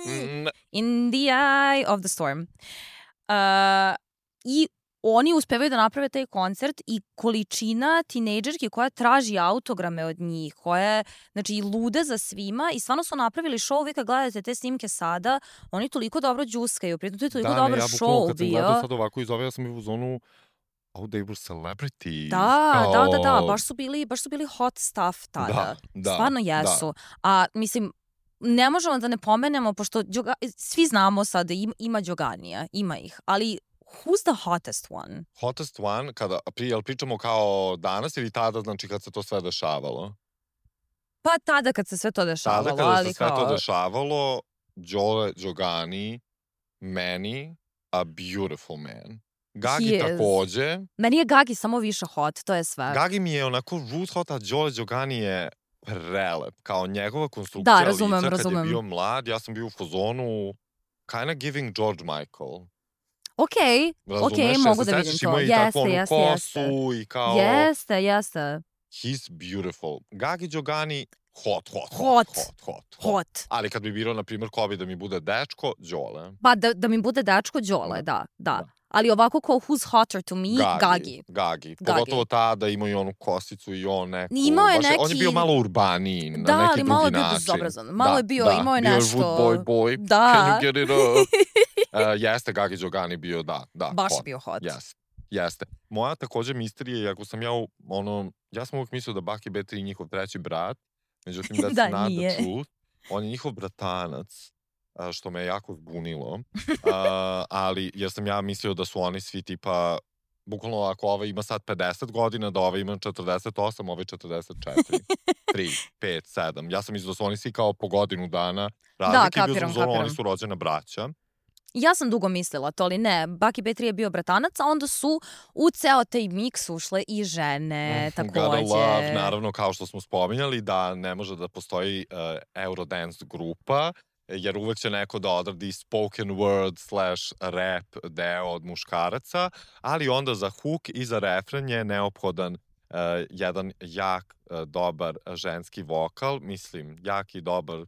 Mm, In the eye of the storm. Uh, I oni uspevaju da naprave taj koncert i količina tinejdžerki koja traži autograme od njih, koja je, znači, lude za svima i stvarno su napravili show. Vi kad gledate te snimke sada, oni toliko dobro džuskaju, pritom to je toliko da, dobar ne, ja bukvalno show kad sam bio. gledao sad ovako iz ove, ja sam bio u zonu oh, they were celebrities. Da, kao... da, da, da, baš su bili, baš su bili hot stuff tada. Da, da, Stvarno jesu. A mislim, ne možemo da ne pomenemo, pošto Đoga, svi znamo sad da im, ima Đoganija, ima ih, ali who's the hottest one? Hottest one, kada, pri, jel pričamo kao danas ili tada, znači kad se to sve dešavalo? Pa tada kad se sve to dešavalo, Tada kada ali se sve kao... to dešavalo, Đole Đogani, meni, a beautiful man. Gagi He is. takođe. Meni je Gagi samo više hot, to je sve. Gagi mi je onako root hot, a Đole Đogani je prelep. Kao njegova konstrukcija Da, razumem, lica kad razumem. je bio mlad, ja sam bio u fazonu kinda giving George Michael. Okej, Razumeš? okej, Jel mogu se da vidim sećaš, to. imao je i takvu Jeste, onu jeste, jeste. kosu i kao... Jeste, jeste. He's beautiful. Gagi Đogani, hot, hot, hot, Hot. hot, hot, hot. Hot. Ali kad bi birao, na primjer, ko bi da mi bude dečko, Đole. Pa da, da mi bude dečko Đole, da, da. Da. Ali ovako kao who's hotter to me, Gagi. Gagi. Gagi. Pogotovo tada imao i onu kosicu i on neku... Imao je baš neki... On je bio malo urbaniji, na Da, neki ali drugi malo je bio način. bezobrazan. Malo da, je bio, da. imao je bio nešto... Bio je wood boy boy. Da. Can you get it up? uh, jeste, Gagi Đogani bio, da, da. Baš hot. je bio hot. Jeste. Jeste. Moja takođe misterija, iako sam ja, ono, ja sam uvijek mislio da Baki B tri je njihov treći brat, međutim, that's Da, not nije. the truth. On je njihov bratanac, a, što me je jako zbunilo, uh, ali jer sam ja mislio da su oni svi tipa, bukvalno ako ovaj ima sad pedeset godina, da ovaj ima četrdeset osam, ovaj četrdeset četiri, tri, pet, sedam. Ja sam mislio da su oni svi kao po godinu dana razlike, Da, i bio sam kapiram, u zonu, kapiram. oni su rođena braća. Ja sam dugo mislila to, ali ne. Baki B tri je bio bratanac, a onda su u ceo taj miks ušle i žene, Gotta takođe. love, naravno, kao što smo spominjali, da ne može da postoji uh, Eurodance grupa, jer uvek će neko da odradi spoken word slash rap deo od muškaraca, ali onda za hook i za refren je neophodan uh, jedan jak, uh, dobar ženski vokal, mislim, jak i dobar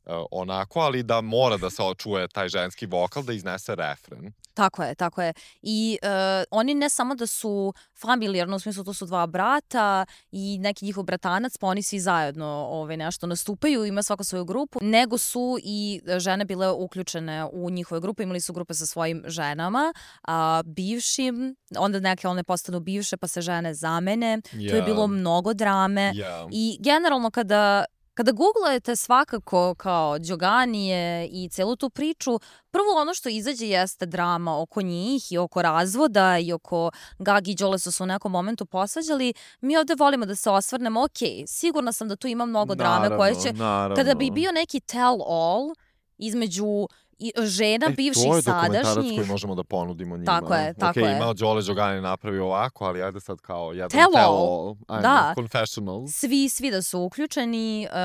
Uh, onako, ali da mora da se očuje taj ženski vokal da iznese refren. Tako je, tako je. I uh, oni ne samo da su familijarno, u smislu to su dva brata i neki njihov bratanac, pa oni svi zajedno ovaj, nešto nastupaju, ima svako svoju grupu, nego su i žene bile uključene u njihove grupe, imali su grupe sa svojim ženama, a, bivšim, onda neke one postanu bivše pa se žene zamene. Yeah. To je bilo mnogo drame. Yeah. I generalno kada Kada googlujete svakako kao Đoganije i celu tu priču, prvo ono što izađe jeste drama oko njih i oko razvoda i oko Gagi i Đole su se u nekom momentu posvađali. Mi ovde volimo da se osvrnemo, ok, sigurna sam da tu ima mnogo drame naravno, koje će... Naravno. Kada bi bio neki tell all između i žena e, bivših to je sadašnjih... dokumentarac koji možemo da ponudimo njima. Tako je, tako okay, je. Imao Đole Đogani napravio ovako, ali ajde sad kao jedan Tell tell all. all. Ajmo, Da. confessionals. Svi, svi da su uključeni, uh,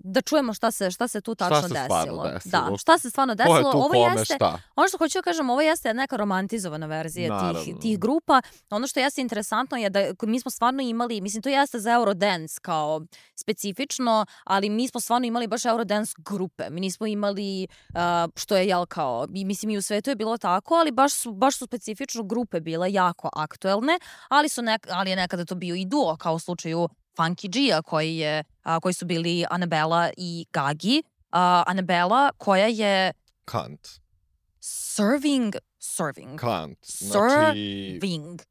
da čujemo šta se, šta se tu tačno Šta se desilo. stvarno desilo. Da, šta se stvarno Ko desilo. je tu Ovo kome jeste, šta? ono što hoću da kažem, ovo jeste neka romantizovana verzija tih, Naravno. tih grupa. Ono što jeste interesantno je da mi smo stvarno imali, mislim to jeste za Eurodance kao specifično, ali mi smo stvarno imali baš Eurodance grupe. Mi nismo imali, uh, što je jel kao, mislim i u svetu je bilo tako, ali baš su, baš su specifično grupe bile jako aktuelne, ali, su nek, ali je nekada to bio i duo, kao u slučaju Funky G-a koji, je, a, koji su bili Anabela i Gagi. A, Anabela koja je Kant. serving, serving, Kant. Znači, serving.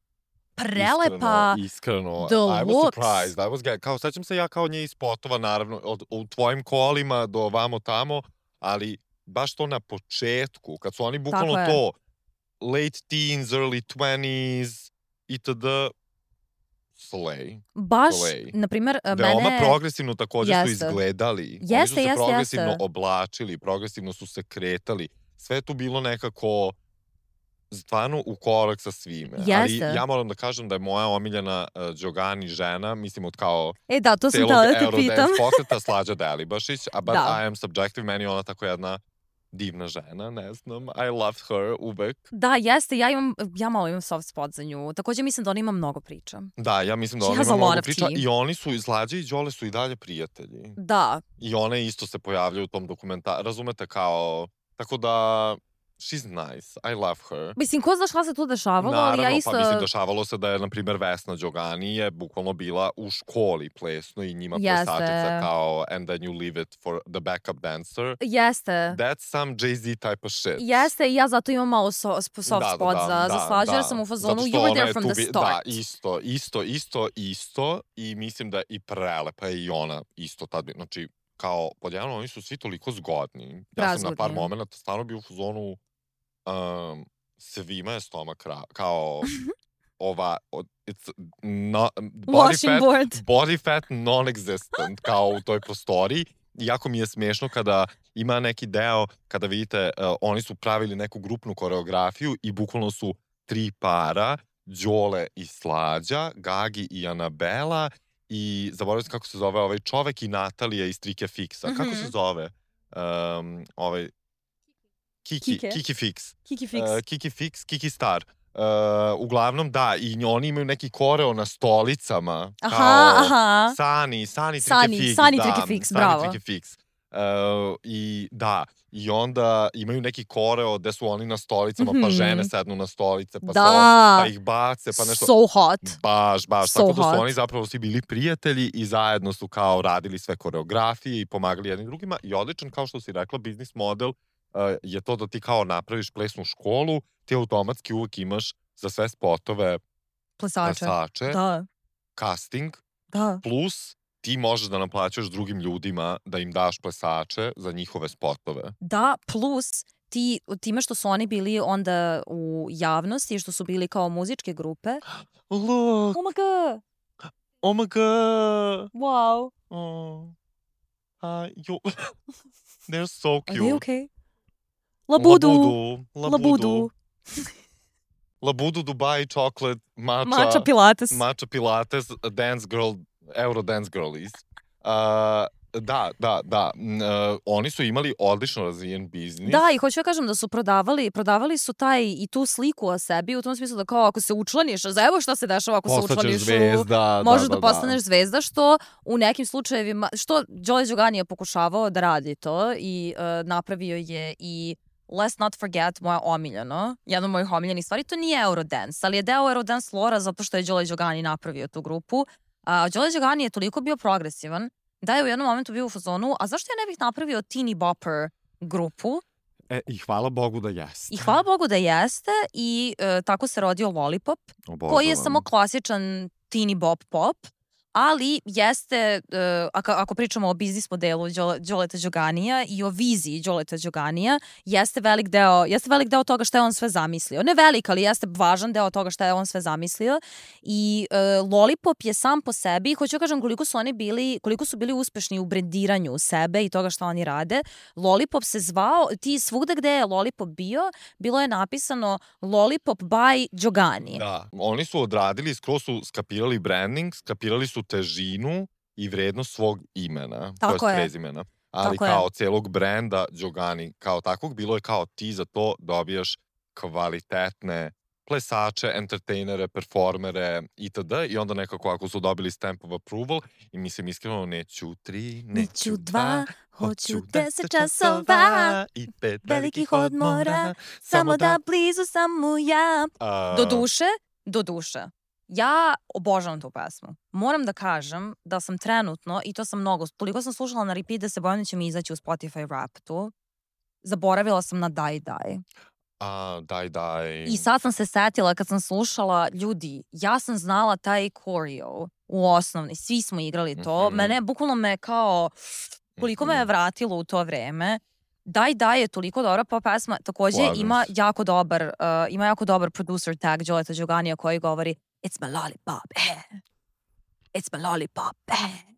Prelepa. Iskreno, iskreno. the I was looks. surprised. I was get, kao, sećam se ja kao nje iz spotova, naravno, od, u tvojim kolima do vamo tamo, ali baš to na početku, kad su oni bukvalno Tako je. to late teens, early twenties, itd. Slay. Baš, Slay. na primjer, Veoma mene... progresivno također su Jeste. izgledali. Oni Jeste, su se jeste, progresivno jeste. oblačili, progresivno su se kretali. Sve je tu bilo nekako stvarno u korak sa svime. Ali Jeste. ja moram da kažem da je moja omiljena uh, Đogani žena, mislim od kao E da, to sam celog htjela da te Eurodance pitam. pokreta Slađa Delibašić, a but Da. I am subjective, meni je ona tako jedna divna žena, ne znam, I loved her uvek. Da, jeste, ja imam, ja malo imam soft spot za nju. Također mislim da ona ima mnogo priča. Da, ja mislim da She ona has ima a lot mnogo of priča tea. i oni su, Slađa i Đole su i dalje prijatelji. Da, I one isto se pojavljaju u tom dokumentaru, razumete, kao, tako da, she's nice, I love her. mislim, ko zna šta se tu dešavalo, ali Naravno, ja isto... pa mislim, dešavalo se da je, na primjer, Vesna Đogani je bukvalno bila u školi plesno i njima Jeste. plesačica kao and then you leave it for the backup dancer. Jeste. That's some Jay-Z type of shit. Jeste, i ja zato imam malo so, soft Da, spot da, za, da, za Slađu, jer da. sam u fazonu, Zato što you were ona there je from tu the bi- start. Da, isto, isto, isto, isto i mislim da je i prelepa je i ona isto tad. bi- Znači, kao, podjedno, oni su svi toliko zgodni. Ja sam na par Prazgodni. momenta stvarno bio u fazonu um, svima je stomak ra- kao ova, od- it's not, body Washing fat, board. body fat non-existent kao u toj prostoriji. Jako mi je smiješno kada ima neki deo, kada vidite, uh, oni su pravili neku grupnu koreografiju i bukvalno su tri para, Đole i Slađa, Gagi i Anabela i zaboravim se kako se zove ovaj čovek i Natalija iz Trike Fixa. Mhm. Kako se zove? Um, ovaj... Kiki, Kike. Kiki Fix. Kiki Fix. Uh, Kiki Fix, Kiki Star. Uh, uglavnom, da, i oni imaju neki koreo na stolicama. Aha, kao aha. Sani, Sani Trike Sani, Fix. Sani da, Trike Fix, Sani bravo. Trike Fix. Uh, I da, i onda imaju neki koreo gde su oni na stolicama, Mhm. pa žene sednu na stolice, pa, Da. so, pa ih bace, pa nešto. So hot. Baš, baš. So Tako da su hot. oni zapravo svi bili prijatelji i zajedno su kao radili sve koreografije i pomagali jednim drugima. I odličan, kao što si rekla, biznis model uh, je to da ti kao napraviš plesnu školu, ti automatski uvek imaš za sve spotove Plesače. plesače, Da, casting, da. plus ti možeš da naplaćaš drugim ljudima da im daš plesače za njihove spotove. Da, plus ti, time što su oni bili onda u javnosti, što su bili kao muzičke grupe. Look! Oh my god! Oh my god! Wow! Oh. Uh, you... They're so cute. Are they okay? Labudu! Labudu. Labudu! Labudu, Dubai, chocolate, matcha. Matcha Pilates. Matcha Pilates, dance girl, Euro dance girlies. Uh, da, da, da. Uh, oni su imali odlično razvijen biznis. Da, i hoću ja kažem da su prodavali, prodavali su taj i tu sliku o sebi u tom smislu da kao ako se učlaniš, za evo šta se dešava ako se Postaćeš učlaniš zvezda, u, možeš da, da, da, postaneš zvezda, što u nekim slučajevima, što Jolie Giogani je pokušavao da radi to i uh, napravio je i Let's Not Forget, moja omiljeno, jedna od mojih omiljenih stvari, to nije Eurodance, ali je deo Eurodance lora zato što je Jolie Giogani napravio tu grupu. Uh, Jolie Giogani je toliko bio progresivan da je u jednom momentu bio u fazonu, a zašto ja ne bih napravio teeny bopper grupu? E, i hvala Bogu da jeste. I hvala Bogu da jeste i uh, tako se rodio Lollipop, Obožavam. koji je samo klasičan teeny bop pop, ali jeste, uh, ako, ako pričamo o biznis modelu Đoleta Đoganija i o viziji Đoleta Đoganija, jeste velik deo, jeste velik deo toga šta je on sve zamislio. Ne velik, ali jeste važan deo toga šta je on sve zamislio. I uh, Lollipop je sam po sebi, hoću kažem koliko su oni bili, koliko su bili uspešni u brendiranju sebe i toga šta oni rade. Lollipop se zvao, ti svugde gde je Lollipop bio, bilo je napisano Lollipop by Giogani. Da, oni su odradili, skroz su skapirali branding, skapirali su težinu i vrednost svog imena, Tako to je je. prezimena. Ali Tako kao je. celog brenda Giogani, kao takvog, bilo je kao ti za to dobijaš kvalitetne plesače, entertainere, performere itd. I onda nekako ako su dobili stamp of approval i mislim iskreno neću tri, neću dva, hoću deset časova i pet velikih odmora, samo da blizu samo ja. A, Do duše, do duše. Ja obožavam tu pesmu. Moram da kažem da sam trenutno, i to sam mnogo, toliko sam slušala na repeat da se bojim da će mi izaći u Spotify rap tu. Zaboravila sam na Daj Daj. a, daj, daj. I sad sam se setila kad sam slušala, ljudi, ja sam znala taj choreo u osnovni, svi smo igrali to. Mhm. Mene, bukvalno me kao, koliko me je Mhm. vratilo u to vreme. Daj Daj je toliko dobra pop pesma. Takođe Slažem ima se. jako dobar, uh, ima jako dobar producer tag Đoleta Đoganija koji govori It's my lollipop, eh. It's my lollipop, eh.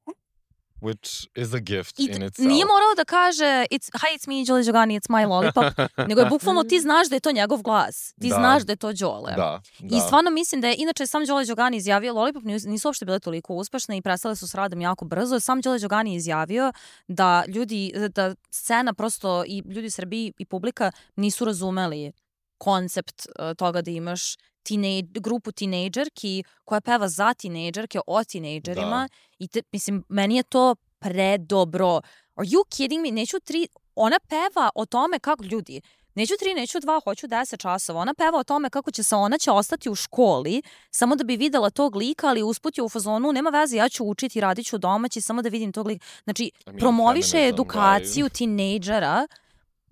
Which is a gift I in t- itself. nije morao da kaže it's, Hi, it's me, Jolie Giogani, it's my lollipop, nego je bukvalno ti znaš da je to njegov glas. Ti Da. znaš da je to Đole. Da, da. I stvarno mislim da je, inače sam Jolie Giogani izjavio, Lollipop nisu, nisu uopšte bile toliko uspešne i prestale su s radom jako brzo. Sam Jolie Giogani je izjavio da ljudi, da scena prosto i ljudi u Srbiji i publika nisu razumeli koncept uh, toga da imaš teenage, grupu tinejdžerki koja peva za tinejdžerke, o tinejdžerima. I te, mislim, meni je to predobro. Are you kidding me? Neću tri, ona peva o tome kako ljudi, neću tri, neću dva, hoću deset časova. Ona peva o tome kako će se, ona će ostati u školi samo da bi videla tog lika, ali usput je u fazonu, nema veze, ja ću učiti, radit ću domaći, samo da vidim tog lika. Znači, I mean, promoviše feminism, edukaciju right? tinejdžera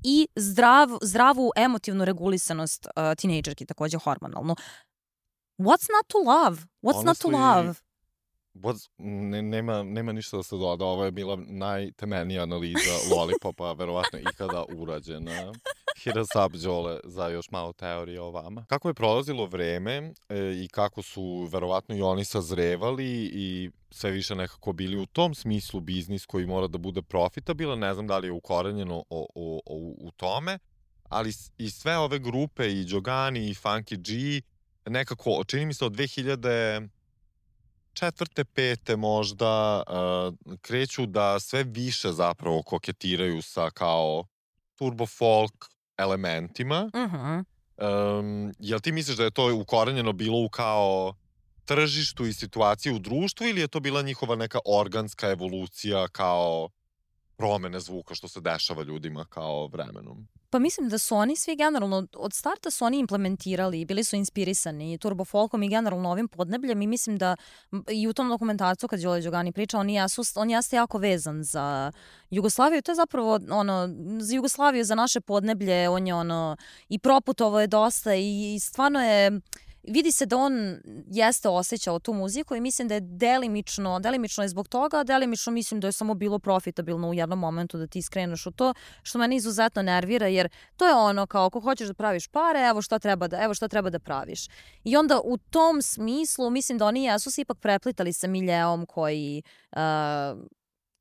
i zdrav, zdravu emotivnu regulisanost uh, tinejdžerki, takođe hormonalnu. What's not to love? What's not to Honestly, love? What's, ne, nema, nema ništa da se doda. Ovo je bila najtemeljnija analiza Lollipopa, verovatno ikada urađena. Hit us up, Đole, za još malo teorije o vama. Kako je prolazilo vreme e, i kako su verovatno i oni sazrevali i sve više nekako bili u tom smislu biznis koji mora da bude profitabilan, ne znam da li je ukorenjeno o, o, o, u tome, ali s- i sve ove grupe, i Giogani, i Funky G, nekako, čini mi se od dve hiljade četvrte, pete možda uh, kreću da sve više zapravo koketiraju sa kao turbo folk elementima. Mhm. Um, jel ti misliš da je to ukorenjeno bilo u kao tržištu i situaciji u društvu ili je to bila njihova neka organska evolucija kao promene zvuka što se dešava ljudima kao vremenom? Pa mislim da su oni svi generalno, od starta su oni implementirali, bili su inspirisani turbo folkom i generalno ovim podnebljem i mislim da i u tom dokumentarcu kad Đole Đogani priča, on, jesu, on jeste jako vezan za Jugoslaviju. To je zapravo ono, za Jugoslaviju, za naše podneblje, on je ono i proputovo je dosta i, i stvarno je, vidi se da on jeste osjećao tu muziku i mislim da je delimično, delimično je zbog toga, a delimično mislim da je samo bilo profitabilno u jednom momentu da ti skreneš u to, što mene izuzetno nervira, jer to je ono kao ako hoćeš da praviš pare, evo šta treba da, evo šta treba da praviš. I onda u tom smislu mislim da oni jesu se ipak preplitali sa miljeom koji uh,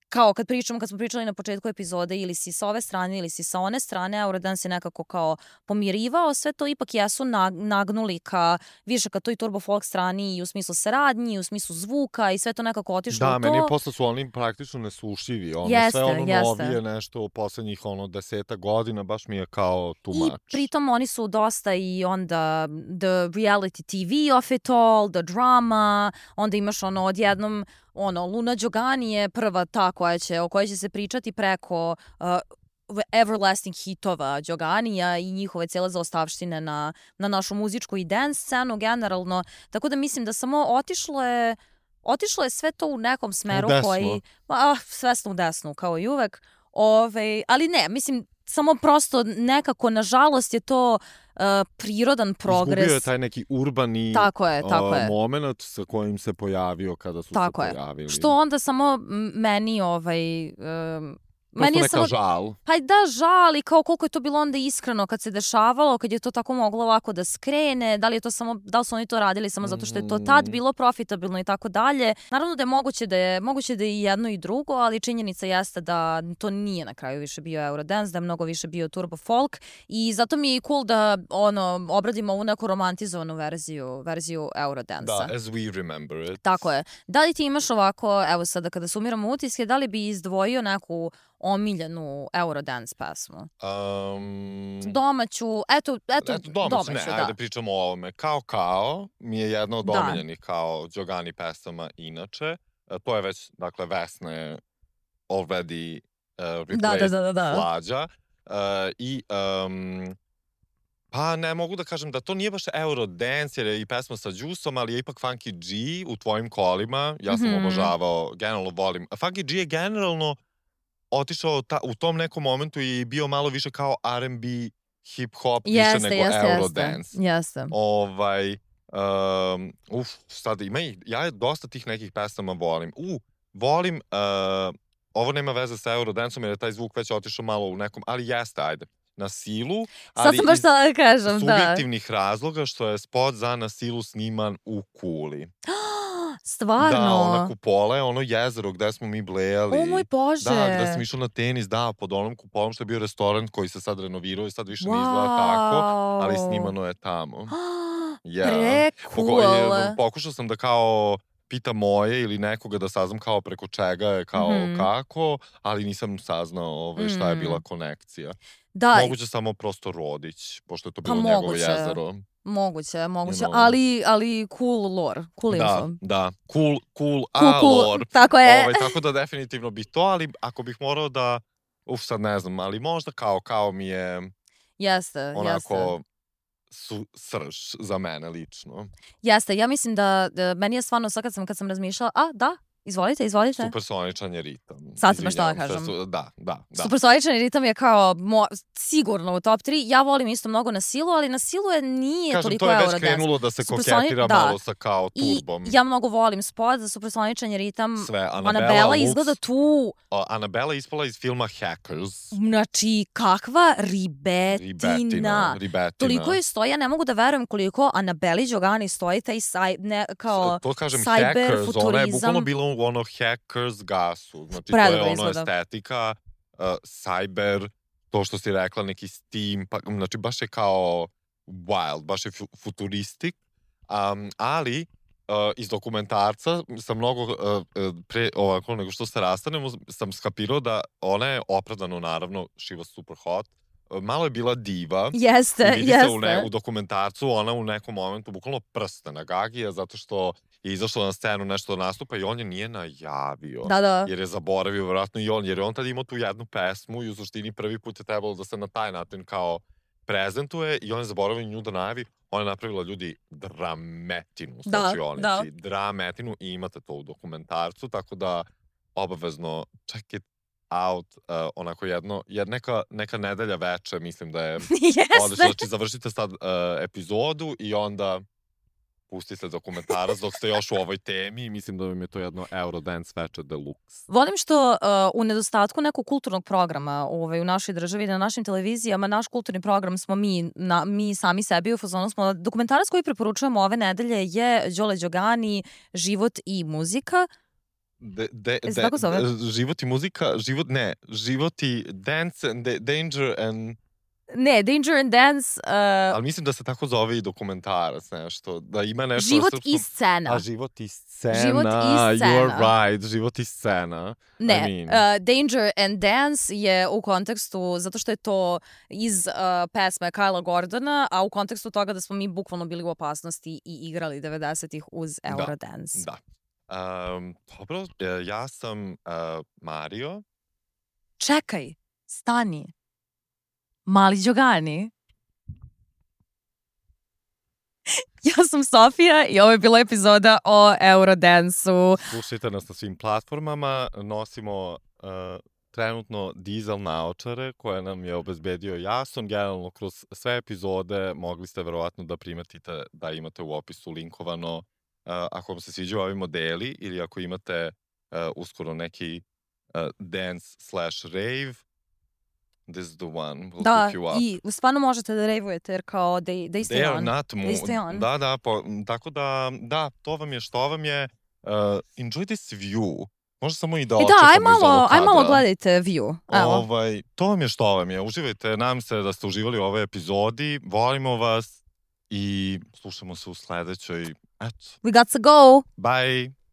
kao kad pričamo, kad smo pričali na početku epizode, ili si sa ove strane ili si sa one strane, Eurodance je nekako kao pomirivao, sve to ipak jesu nagnuli ka više ka toj turbo folk strani i u smislu saradnji, i u smislu zvuka i sve to nekako otišlo da, u to. Da, meni posle su oni praktično neslušivi, ono jeste, sve ono jeste. novije nešto u poslednjih ono deseta godina, baš mi je kao too much. I pritom oni su dosta i onda the reality T V of it all, the drama, onda imaš ono odjednom ono, Luna Đogani je prva ta koja će, o kojoj će se pričati preko uh, everlasting hitova Đoganija i njihove cijele zaostavštine na, na našu muzičku i dance scenu generalno. Tako da mislim da samo otišlo je, otišlo je sve to u nekom smeru koji... Ah, svesno u desnu, kao i uvek. Ove, ali ne, mislim, samo prosto nekako, nažalost, je to uh, prirodan progres. Izgubio je taj neki urbani tako je, tako uh, je. moment sa kojim se pojavio kada su tako se je. pojavili. Što onda samo meni ovaj... Um, Prosto neka samo, žal. Pa da, žal i kao koliko je to bilo onda iskreno kad se dešavalo, kad je to tako moglo ovako da skrene, da li je to samo, da li su oni to radili samo zato što je to tad bilo profitabilno i tako dalje. Naravno da je moguće da je, moguće da je i jedno i drugo, ali činjenica jeste da to nije na kraju više bio Eurodance, da je mnogo više bio turbo folk i zato mi je i cool da ono, obradimo ovu neku romantizovanu verziju, verziju Eurodance-a. Da, as we remember it. Tako je. Da li ti imaš ovako, evo sada kada sumiramo utiske, da li bi izdvojio neku omiljenu Eurodance pesmu? Um, domaću, eto, eto, eto domaću, domaću, ne, da. ajde pričamo o ovome. Kao Kao mi je jedna od da. omiljenih kao Đogani pesama inače. E, to je već, dakle, Vesna je already uh, replaced da, da, da, da. Slađa. Uh, I um, pa ne mogu da kažem da to nije baš Eurodance jer je i pesma sa Đusom, ali je ipak Funky G u tvojim kolima. Ja sam mm-hmm. obožavao, generalno volim. Funky G je generalno otišao ta, u tom nekom momentu i bio malo više kao R and B, hip-hop, jeste, više nego jeste, Eurodance. Jeste. Ovaj, um, uf, sad ima i, ja dosta tih nekih pesama volim. U, volim, uh, ovo nema veze sa Eurodanceom jer je taj zvuk već otišao malo u nekom, ali jeste, ajde, Na silu, ali sad sam baš da kažem, iz subjektivnih da. razloga što je spot za Na silu sniman u Kuli. Stvarno? Da, ona kupola je ono jezero gde smo mi blejali. O moj Bože! Da, gde sam išao na tenis, da, pod onom kupolom što je bio restoran koji se sad renovirao i sad više wow. ne izgleda tako, ali snimano je tamo. Yeah. Pre-cool! Pokušao sam da kao pitam moje ili nekoga da saznam kao preko čega je, kao mm-hmm. kako, ali nisam saznao ovaj, šta je bila konekcija. Da. Moguće samo prosto Rodić, pošto je to bilo pa njegovo moguće. jezero. Moguće, moguće, You know. ali, ali cool lore, cool info. Da, da, cool, cool, cool a cool, lore. Tako je. Ovaj, tako da definitivno bi to, ali ako bih morao da, uf sad ne znam, ali možda kao, kao mi je jeste, onako jeste. Su, srž za mene lično. Jeste, ja mislim da, da meni je stvarno sad kad sam, kad sam razmišljala, a da, izvolite, izvolite. Supersoničan je ritam. Sad sam baš to da kažem. Su, da, da, da. Supersoničan ritam je kao mo, sigurno u top tri. Ja volim isto mnogo Na silu, ali Na silu je nije kažem, toliko Eurodance. Eurodance. To je već krenulo da se Supersoni... koketira da. malo sa kao turbom. I ja mnogo volim spot za Supersoničan ritam. Sve, Anabela, Anabela izgleda tu. Uh, Anabela ispala iz filma Hackers. Znači, kakva ribetina. Ribetina. ribetina. Toliko je stoji, ja ne mogu da verujem koliko Anabeli Đogani stoji taj saj, ne, kao to kažem, cyber Hackers, futurizam. Ona je bukvalno bilo u ono Hackers gasu. Znači, Predobro to je ono izgleda. estetika, uh, cyber, to što si rekla, neki steam, pa, znači baš je kao wild, baš je futuristik, um, ali iz dokumentarca sam mnogo uh, pre, ovako, nego što se rastanemo, sam skapirao da ona je opravdano, naravno, she was super hot, malo je bila diva. Jeste, i vidi jeste. se u, ne, u dokumentarcu, ona u nekom momentu bukvalno prste na Gagija, zato što je izašla na scenu nešto da nastupa i on je nije najavio. Da, da. Jer je zaboravio, vjerojatno i on, jer je on tad imao tu jednu pesmu i u suštini prvi put je trebalo da se na taj način kao prezentuje i on je zaboravio nju da najavi. Ona je napravila, ljudi, drametinu u slačionici. Da, da. Drametinu i imate to u dokumentarcu, tako da obavezno check it out, uh, onako jedno, jer neka, neka nedelja veče, mislim da je odlično. Znači, završite sad uh, epizodu i onda pustite dokumentarac dok ste još u ovoj temi i mislim da vam je to jedno Eurodance veče deluxe. Volim što uh, u nedostatku nekog kulturnog programa ovaj, u našoj državi, na našim televizijama, naš kulturni program smo mi, na, mi sami sebi u fazonu smo. Dokumentarac koji preporučujemo ove nedelje je Đole Đogani, Život i muzika. De, de, de, tako zove? Život i muzika, život, ne, život i dance and de, danger and... Ne, Danger and Dance... Uh, Ali mislim da se tako zove i dokumentarac, nešto, da ima nešto... Život srpskom... i scena. A, život i scena. Život i scena. You are right, život i scena. Ne, I mean. uh, Danger and Dance je u kontekstu, zato što je to iz uh, pesme Kyla Gordona, a u kontekstu toga da smo mi bukvalno bili u opasnosti i igrali devedesetih uz Eurodance. Da, da. Um, dobro, ja sam uh, Mario. Čekaj, stani. Mali Đogani. Ja sam Sofija i ovo je bila epizoda o Eurodance-u. Slušajte nas na svim platformama, nosimo uh, trenutno dizel naočare koje nam je obezbedio Jason. Generalno kroz sve epizode mogli ste verovatno da primetite da imate u opisu linkovano uh, ako vam se sviđaju ovi modeli ili ako imate uh, uskoro neki uh, dance slash rave. This is the one. We'll da, hook you up. I stvarno možete da rejvujete jer kao they, they stay they on. Not they stay on. Da, da, po, tako da, da, to vam je što vam je. Uh, enjoy this view. Možda samo i da očekamo da, aj iz ovog malo, kadra. aj malo gledajte view. Evo. Ovaj, to vam je što vam je. Uživajte, nadam se da ste uživali u ovoj epizodi. Volimo vas i slušamo se u sledećoj. Eto. We got to go. Bye.